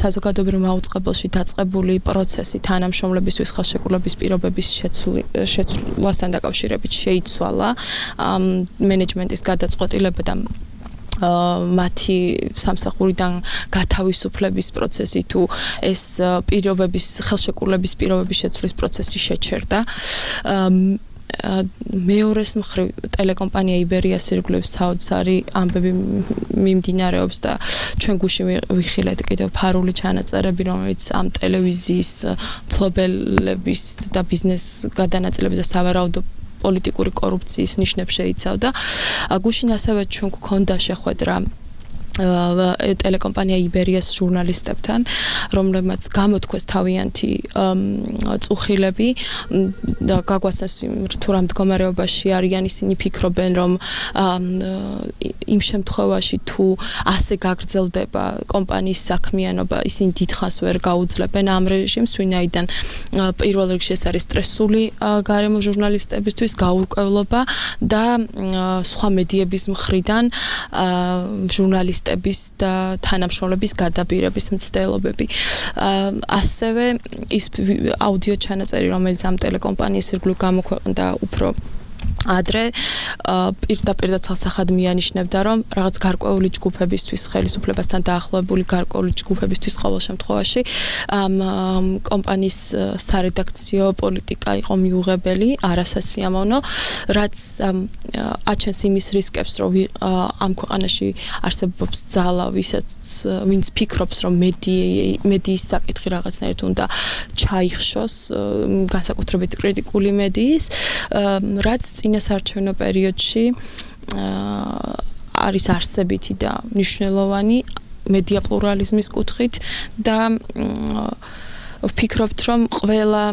საზოგადოებრივ მაუწყებელში დაწყებული პროცესი თანამშრომლებისთვის ხელშეკრულების პირობების შეცვლასთან დაკავშირებით შეიცვალა. მენეჯმენტის გადაწყვეტილება და მათი სამსახურიდან გათავისუფლების პროცესი თუ ეს ხელშეკრულების პირობების შეცვლის პროცესი შეჩერდა. მეორეს მხრივ ტელეკომპანია იბერიას ირგვლივ საოცარი ამბები მიმდინარეობს და ჩვენ გუში ვიხილეთ კიდევ ფარული ჩანაწერები, რომელიც ამ ტელევიზიის მფლობელების და ბიზნეს გადანაწილების და სავარაუდო პოლიტიკური კორუფციის ნიშნებს შეიცავდა. გუშინ ასევე ჩვენ გვქონდა შეხვედრა ტელეკომპანია იბერიას ჟურნალისტებთან, რომლებმაც გამოთქვეს თავიანთი წუხილები და გაგვაცნეს თუ რა მდგომარეობაში არიან, ისინი ფიქრობენ, რომ იმ შემთხვევაში თუ ასე გაგრძელდება კომპანიის საქმიანობა, ისინი დიდხანს ვერ გაუძლებენ ამ რეჟიმს, ვინაიდან პირველ რიგში ეს არის სტრესული გარემო ჟურნალისტებისთვის, გაურკვევლობა და სხვა მედიების მხრიდან ჟურნალისტების და თანამშრომლების გადაბირების მცდელობები. ასევე ის აუდიო ჩანაწერი, რომელიც ამ ტელეკომპანიის ირგვლივ გამოქვეყნდა უფრო ადრე, პირდაპირ და ცალსახად მიანიშნებდა, რომ რაღაც გარკვეული ჯგუფებისთვის, ხელისუფლებასთან დაახლოებული გარკვეული ჯგუფებისთვის ყოველ შემთხვევაში ამ კომპანიის სარედაქციო პოლიტიკა იყო მიუღებელი, არასასიამოვნო, რაც აჩენს იმის რისკებს, რომ ამ ქვეყანაში არსებობს ძალა, ვინც ფიქრობს, რომ მედიის საკითხი რაღაცნაირად უნდა ჩაიხშოს, განსაკუთრებით კრიტიკული მედიის, რაც წინასაარჩევნო პერიოდში არის არსებითი და მნიშვნელოვანი მედია პლურალიზმის კუთხით და ვფიქრობთ, რომ ყველა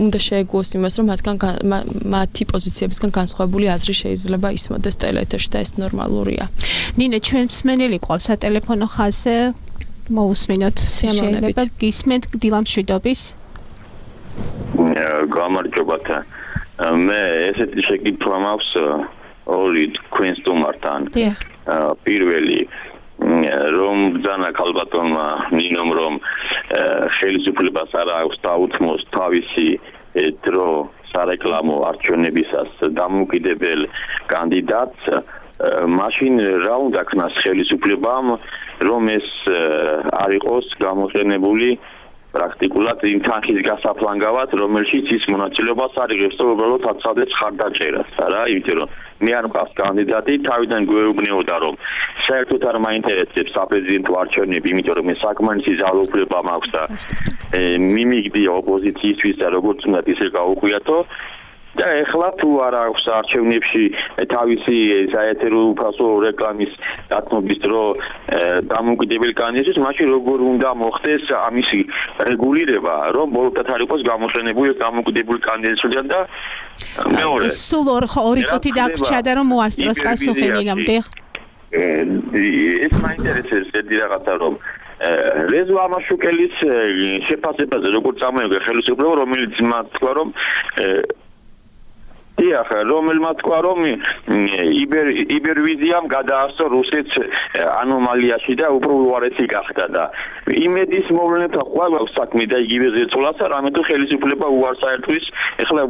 უნდა შეეგუოს იმას, რომ მათი პოზიციებისგან განსხვავებული აზრი შეიძლება ისმოდეს ტელეეთერში და ეს ნორმალურია. ნინე, ჩვენ მსმენელი ყავს სატელეფონო ხაზზე, მოусმინოთ. შეიძლება გისმენთ დილამშვიდობის. გამარჯობათ. მე ესეთი შეკითხვა მაქვს ორი თქვენ სტუმართან. პირველი რომ ბრძანა ქალბატონმა ნინომ რომ ხელისუფლებას არ აქვს დაუთმოს თავისი დრო სარეკლამო არჩევნებისას დამოუკიდებელ კანდიდატს, მაშინ რა უნდა ქნას ხელისუფლებამ, რომ ეს არ იყოს გამოყენებული პრაქტიკულად იმ თანხის გასაფლანგავად, რომელშიც ის მონაწილეობას არ იღებს, უბრალოდ აცადებს ხარდაჭერას, რა, იმიტომ რომ მე არ მყავს კანდიდატი, თავიდან გვეუბნეოდა, რომ საერთოდ არ მაინტერესებს საპრეზიდენტო არჩევნები, იმიტომ რომ მე საკმარისი ძალაუფლება მაქვს და მიმიგდია ოპოზიციისთვის და როგორც უნდა ისე გაუღვიათო. და ეხლა თუ არ აქვს არჩევნებში თავისი საერთო უფასო რეკლამის დათმობის დრო დამოუკიდებელი კანდიდატის, მაშინ როგორ უნდა მოხდეს ამის რეგულირება, რომ ბოლოდათ არ იყოს გამოყენებული დამოუკიდებელი კანდიდატისგან და მეორე. სულ 2 წუთი დაგვრჩა და რომ მოასწროს პასუხი ნინომ, დიახ. ეს მაინტერესებს ერთი რაღაცა რომ რეზო ამაშუკელის შეფასებაზე როგორც წამოიღე ხელისუფლება, რომელიც მათ თქვა რომ დიახ, რომელმაც თქვა რომ იბერვიზიამ გადაასწრო რუსეთს ანომალიაში და უფრო უარესი გახდა და იმედის მოვლენებთან ხვალ აქვს საქმე და იგივე ზეწოლასა, რამე თუ ხელისუფლება უარს აერთვის, ეხლა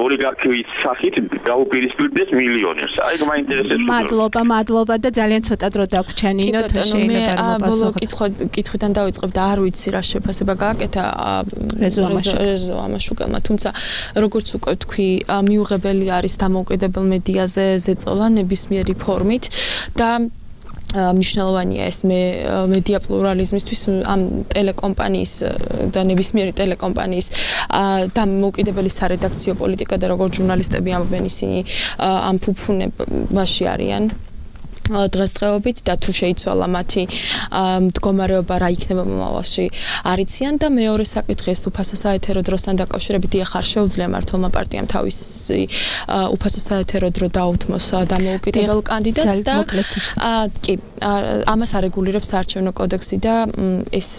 ოლიგარქიის სახით გაუპირისპირდეს მილიონერს. აი მაინტერესებს. მადლობა და ძალიან ცოტა დრო დაგვრჩა ნინო, თუ შეიძლება ბოლო კითხვიდან დავიწყებ და არ ვიცი რა შეფასება გააკეთა რეზო ამაშუკელმა, თუმცა როგორც უკვე თქვი, მიუღებელი არის დამოუკიდებელ მედიაზე ზეწოლა ნებისმიერი ფორმით და მნიშვნელოვანია ეს მედია პლურალიზმისთვის ამ ტელეკომპანიის და ნებისმიერი ტელეკომპანიის დამოუკიდებელი სარედაქციო პოლიტიკა და როგორც ჟურნალისტები ამბობენ ისინი ამ ფუფუნებაში არიან დღესდღეობით და თუ შეიცვალა მათი მდგომარეობა რა იქნება მომავალში არიციან და მეორე საკითხი ეს უფასო საეთერო დროსთან დაკავშირებით ახარ შეუძლია მართლმა პარტიამ თავისი უფასო საეთერო დრო დაუთმოს დამოუკიდებელ კანდიდატს და კი ამას არეგულირებს საარჩევნო კოდექსი და ეს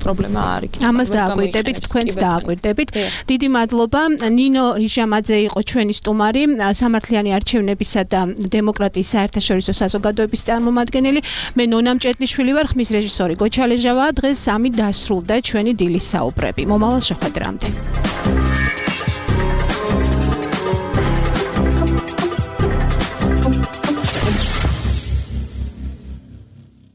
პრობლემა არ იქნება. ამას დააკვირდებით, თქვენც დააკვირდებით. დიდი მადლობა. ნინო რიჟამაძე იყო ჩვენი სტუმარი, სამართლიანი არჩევნებისა და დემოკრატიის საერთაშორისო საზოგადოების წარმომადგენელი. მე ნონა მჭედლიშვილი ვარ, ხმის რეჟისორი გოჩა ლეჟავაა. დღეს 3 დასრულდა ჩვენი დილის საუბრები. მომავალ შეხვედრამდე.